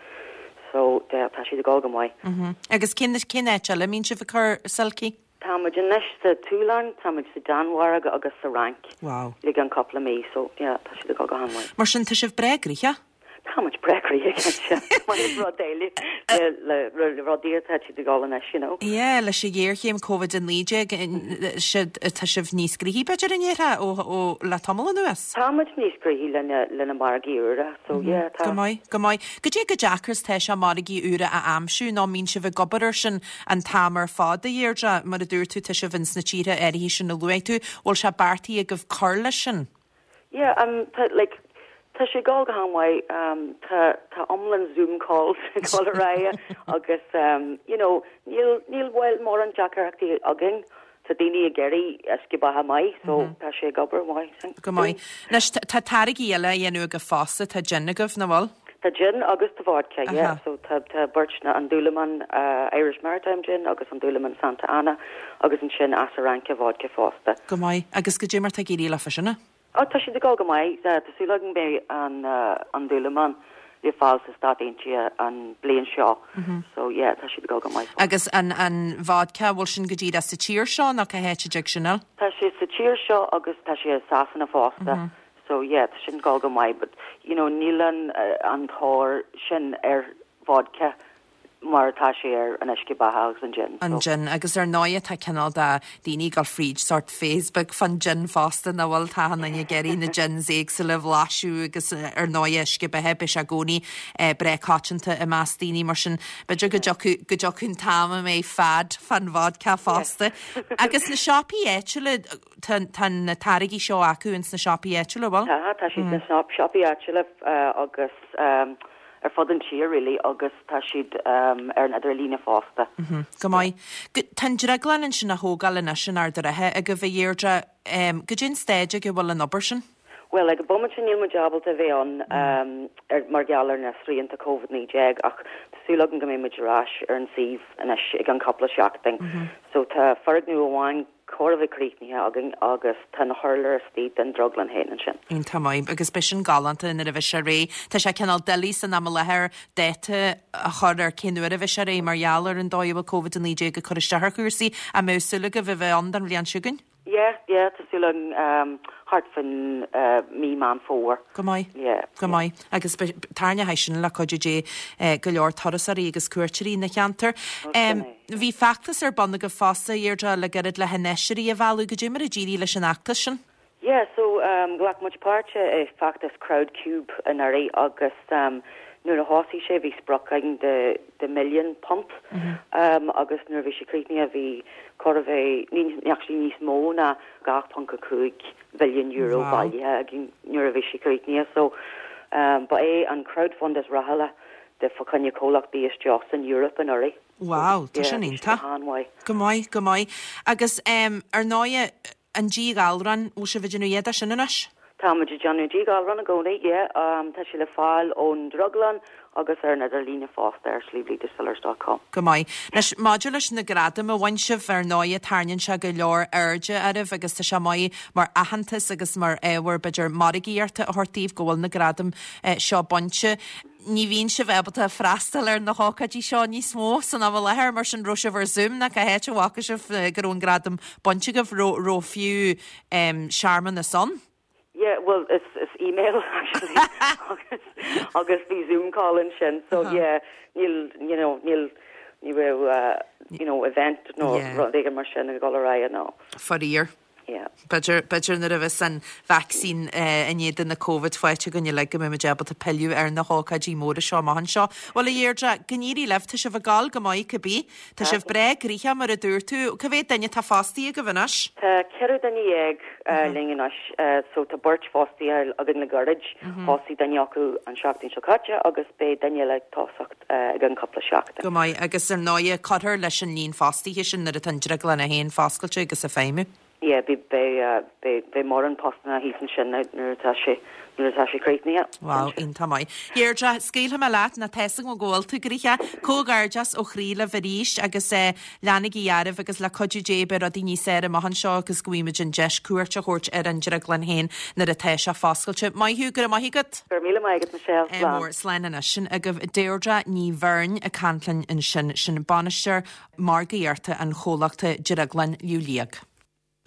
So de, tá siad ag dul go maith. Mm -hmm. Agus cén cén áit eile a mbíonn sibh ag cur Silky? Tá muid anois sa tSualainn, tá muid sa Danmhairg agus sa Fhrainc. Wow. Le an cúpla mí, so yeah, tá siad ag dul go han-mhaith. Mar sin tá sibh breá gnoitheach? Tá muid breá gnoitheach mar rud eile le le rudaí atá siad ag dul anois, you know. Yeah, leis an ghéarchéim Covid a naoi déag tá sibh níos gnoithí b'fhéidir in éire ó, ó le tamall anuas? Tá muid níos gnoithí lena lena margaí úra, so yeah, tá. Go maith, go maith. Goidé chomh deacair is tá sé margaí úra a aimsiú nó mbíonn sibh ag obair air sin an t-am ar fad a Dheirdre, mar a dúirt tú tá sibh ins na tíortha áirithe sin a luaigh tú, bhfuil sé beartaithe agaibh cur leis sin? Yeah, um, tá, like, tá sé ag dul go han-mhaith um, tá tá iomlán Zoom calls ag dul ar aghaidh agus um, you know, níl níl bhfuil mórán deacrachtaí againn tá daoine ag iarraidh uisce beatha maith, so mm -hmm. tá sé ag obair maith. Go maith. Anois tá táirgí eile á dhéanamh agaibh fosta tá gin agaibh nach bhfuil? Tá gin agus tá vodka, yeah. So tá tá beirt na an Dúlamán uh, Irish Maritime Gin agus an Dúlamán Santa Ana agus ansin Asaranca vodka fosta. Go maith. Agus goidé mar tá ag éirí leofa sin? Ó tá siad ag dul go maith tá súil agam beidh an uh, an Dúlamán le fáil sa Stáit Aontaithe an bliain seo. Mm -hmm. So yeah, tá siad ag dul go maith. Agus an an vodka bhfuil sin go díreach sa tír seo nó cá háit a dtig sin? Tá sé sa tír seo agus tá sé Sasana fosta. Mm -hmm. So yeah, tá sin ag dul go maith, but you know, níl an uh, an tóir sin ar vodka mar tá sé ar an uisce beatha agus an gin. An gin agus ar ndóigh tá cineál de daoine ag dul fríd sort Facebook fan gin fosta nach bhfuil tá an ag iarraidh na gins éagsúla a bhlaiseadh agus ar ndóigh uisce beatha beidh sé i gcónaí breá coitianta i measc daoine mar sin b'fhéidir go dtiocfaidh go dtiocfaidh an t-am a mbeidh fad fan vodka fosta. Agus na siopaí áitiúla tá tá na táirgí seo acu ins na siopaí áitiúla bhfuil? Tá tá siad sna siopaí áitiúla uh, agus um, ar fud an tír really agus tá siad um, ar an idirlíne fosta. Mm -hmm. Go maith. Tá an drioglann ansin á thógáil anois in Ard an Rátha agaibh a Dheirdre um, goidé an staid ag a bhfuil an obair sin? Well ag an bomaite sin níl muid ábalta bheith ann um, ar mar gheall ar na srianta Covid naoi déag ach tá súil agam go mbeidh muid ar ais ar an suíomh anois i gceann cúpla seachtain. Mm -hmm. So tá foirgneamh amháin chóir a bheith críochnaithe againn agus tá na hurláir istigh den drioglann féin ansin. Iontach maith agus beidh sin galánta nuair a bheidh sé réidh. Tá sé cineál doiligh san am i láthair dáta a chur ar cén uair a bheidh sé réidh mar gheall ar an dóigh a bhfuil Covid a naoi déag ag cur isteach ar chúrsaí an mbeidh súil agaibh a bheith ann don bhliain seo chugainn? Yeah, yeah, tá súil againn um, thart faoin uh, mí Meán Fómhair. Go maith. Yeah. Go maith. Agus tarraingeoidh sin le cuidiú Dé eh, go leor turasóirí agus cuairteoirí na cheantar. Um, bhí feachtas ar bun agaibh fosta Deirdre le gairid le hinfheisteoirí a mhealladh goidé mar a d'éirigh leis an fheachtas sin. Yeah, so um, ghlac muid páirt i feachtas Crowdcube anuraidh agus um, nuair a thosaigh sé bhí sprioc againn de de million punt mm -hmm. um, agus nuair bhí sé críochnaithe bhí chóir a bheith ní actually níos mó ná dhá ponc a cúig billion euro Wow. bailithe againn nuair a bhí sé críochnaithe so um, ba é an crowdfund is rathúla de fá choinne comhlachtaí isteach san Europe anuraidh. Wow, tá Yeah, sin bhí sé iontach. han-mhaith. Go maith, go maith. Agus um, ar ndóigh an díghalrán bhfuil sibh ag déanamh iad sin anois? Tá muid ag déanamh díghalrán i gcónaí, yeah, um, tá sé le fáil ón drioglann agus ar an idirlíne fosta ar sliabhliagdistillers dot com. Go maith. Anois maidir leis na gradaim a bhain sibh ar ndóigh tarraingíonn sé go leor airde oraibh agus tá sé maith mar aitheantas agus mar ábhar b'fhéidir margaíochta a thabhairt daoibh go bhfuil na gradaim eh, seo bainte. ní bhíonn sibh ábalta freastal ar na hócáidí seo níos mó san am i láthair mar sin raibh sibh ar Zoom nó cá háit a bhfaca sibh go raibh an gradam bainte agaibh raibh raibh fiú searmanas ann? Yeah, well, it's, it's email actually. agus agus bhí Zoom call ansin so uh -huh. yeah, níl you know, níl ní raibh uh, you know, event nó yeah. rud éigin mar sin ag dul ar aghaidh nó. Faraor. Yeah. B'fhéidir b'fhéidir nuair a bheas an vaccine uh, in éadan na Covid faighte againn uilig go mbeimid ábalta pilleadh ar na hócáidí móra seo amach anseo. Bhuel a Dheirdre, go n-éirí libh, tá sibh ag gabháil go maith cibé. Tá sibh breá gnoitheach mar a dúirt tú. Cá mhéad duine atá fostaithe agaibh anois? Tá ceithre duine dhéag uh, linn anois, uh, so tá beirt fostaithe againn le gairid, thosaigh duine acu an seachtain seo caite agus beidh duine eile ag tosacht uh, i gceann cúpla seachtain. Go maith agus ar ndóigh cuirfear leis an líon fostaithe sin nuair atá an drioglann féin foscailte agus ag feidhmiú. Yeah, beidh beidh beidh beidh mórán postanna thíos ansin nuair atá sé nuair atá sé críochnaithe. Wow, iontach maith. Deirdre, scaoilfidh mé leat nó tá a fhios agam go bhfuil tú gnoitheach. Comhghairdeas ó chroí libh arís agus eh, leanaigí oraibh agus le cuidiú Dé beidh rudaí níos fearr amach anseo agus go bhfaighimid an deis cuairt a thabhairt ar an drioglann féin nuair atá sé foscailte. Maith thú, go raibh maith agat. Go raibh míle maith agat Michelle. Eh, mór slán anois sin agaibh Deirdre Ní Bheirn ag caint linn ansin sin bainisteoir margaíochta an chomhlachta Drioglann Liú Liag.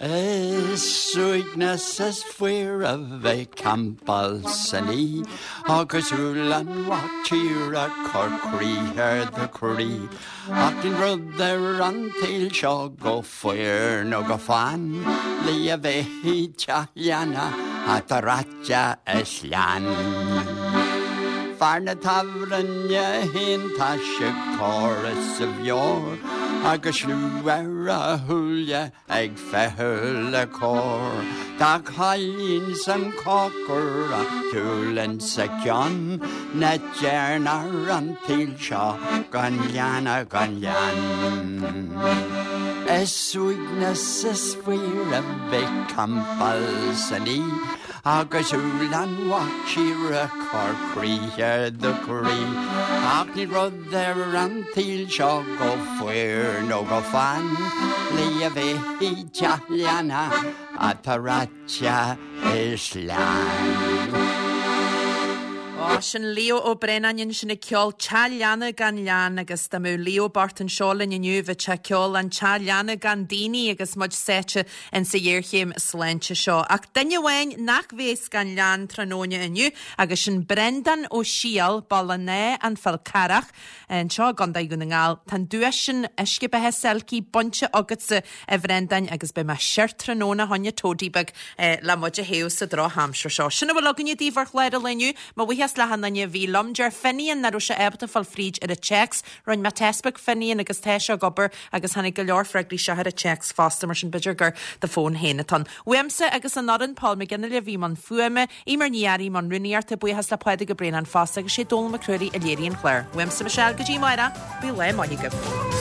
Is uaigneas is fuar a bheith campáil san oíche agus úll an mhac tíre cur croí ar do chroí. Ach níl rud ar an tsaol seo chomh fuar nó chomh fann le a bheith i dteach leanna atá reaite is leann. Fear na tábhairne féin tá sé corr as a mheabhair agus liú ar a shúile ag feitheamh le cóir. Tá cailín san chócair a shiúlann sa cionn na dearnar an tsaoil seo gan leanna gan leann. Is uaigneas is fuar a bheith campáil san oíche agus úll an mhac tíre cur croí ar do chroí. Ach níl rud ar an tsaol seo chomh fuar nó chomh fann le a bheith i dteach leanna atá reaite is leann. Ó sin Leo Ó Braonáin ansin ag ceol Teach Leanna gan Leann agus dá mbeadh Leo bocht anseo linn inniu bheadh sé ag ceol an Teach Leanna gan daoine agus muid sáite insa ghéarchéim sláinte seo. Ach duine amháin nach bheas gan leann tráthnóna inniu agus sin Brendan Ó Siadhail Baile na an Fál Carrach anseo i gContae Dhún na nGall. Tá an duais sin uisce beatha Selkie bainte agatsa a Bhrendain agus beidh mé siar tráthnóna fá choinne toddy beag eh, le muid a théamh sa drochaimsir seo. Sin a bhfuil againne daoibh ar chlár an lae inniu, mo bhuíochas le achan duine a bhí liom deir Finian nach raibh sé ábalta fáil fríd ar an téacs, Rinne mé téacs Finian agus tá sé ag obair agus tháinig go leor freagraí isteach ar an téacs fosta mar sin b'fhéidir gur do fón féin atá ann. Uaimse agus an fhoireann Paul McGinley a bhí i mbun fuaime, Emer Ní Fhearraigh i mbun rúnaíochta buíochas le Pádraig Ó Braonáin fosta agus sé Dónal Mac Ruairí a léirigh an clár. Uaimse Michelle go dtí amárach, bíodh lá maith agaibh.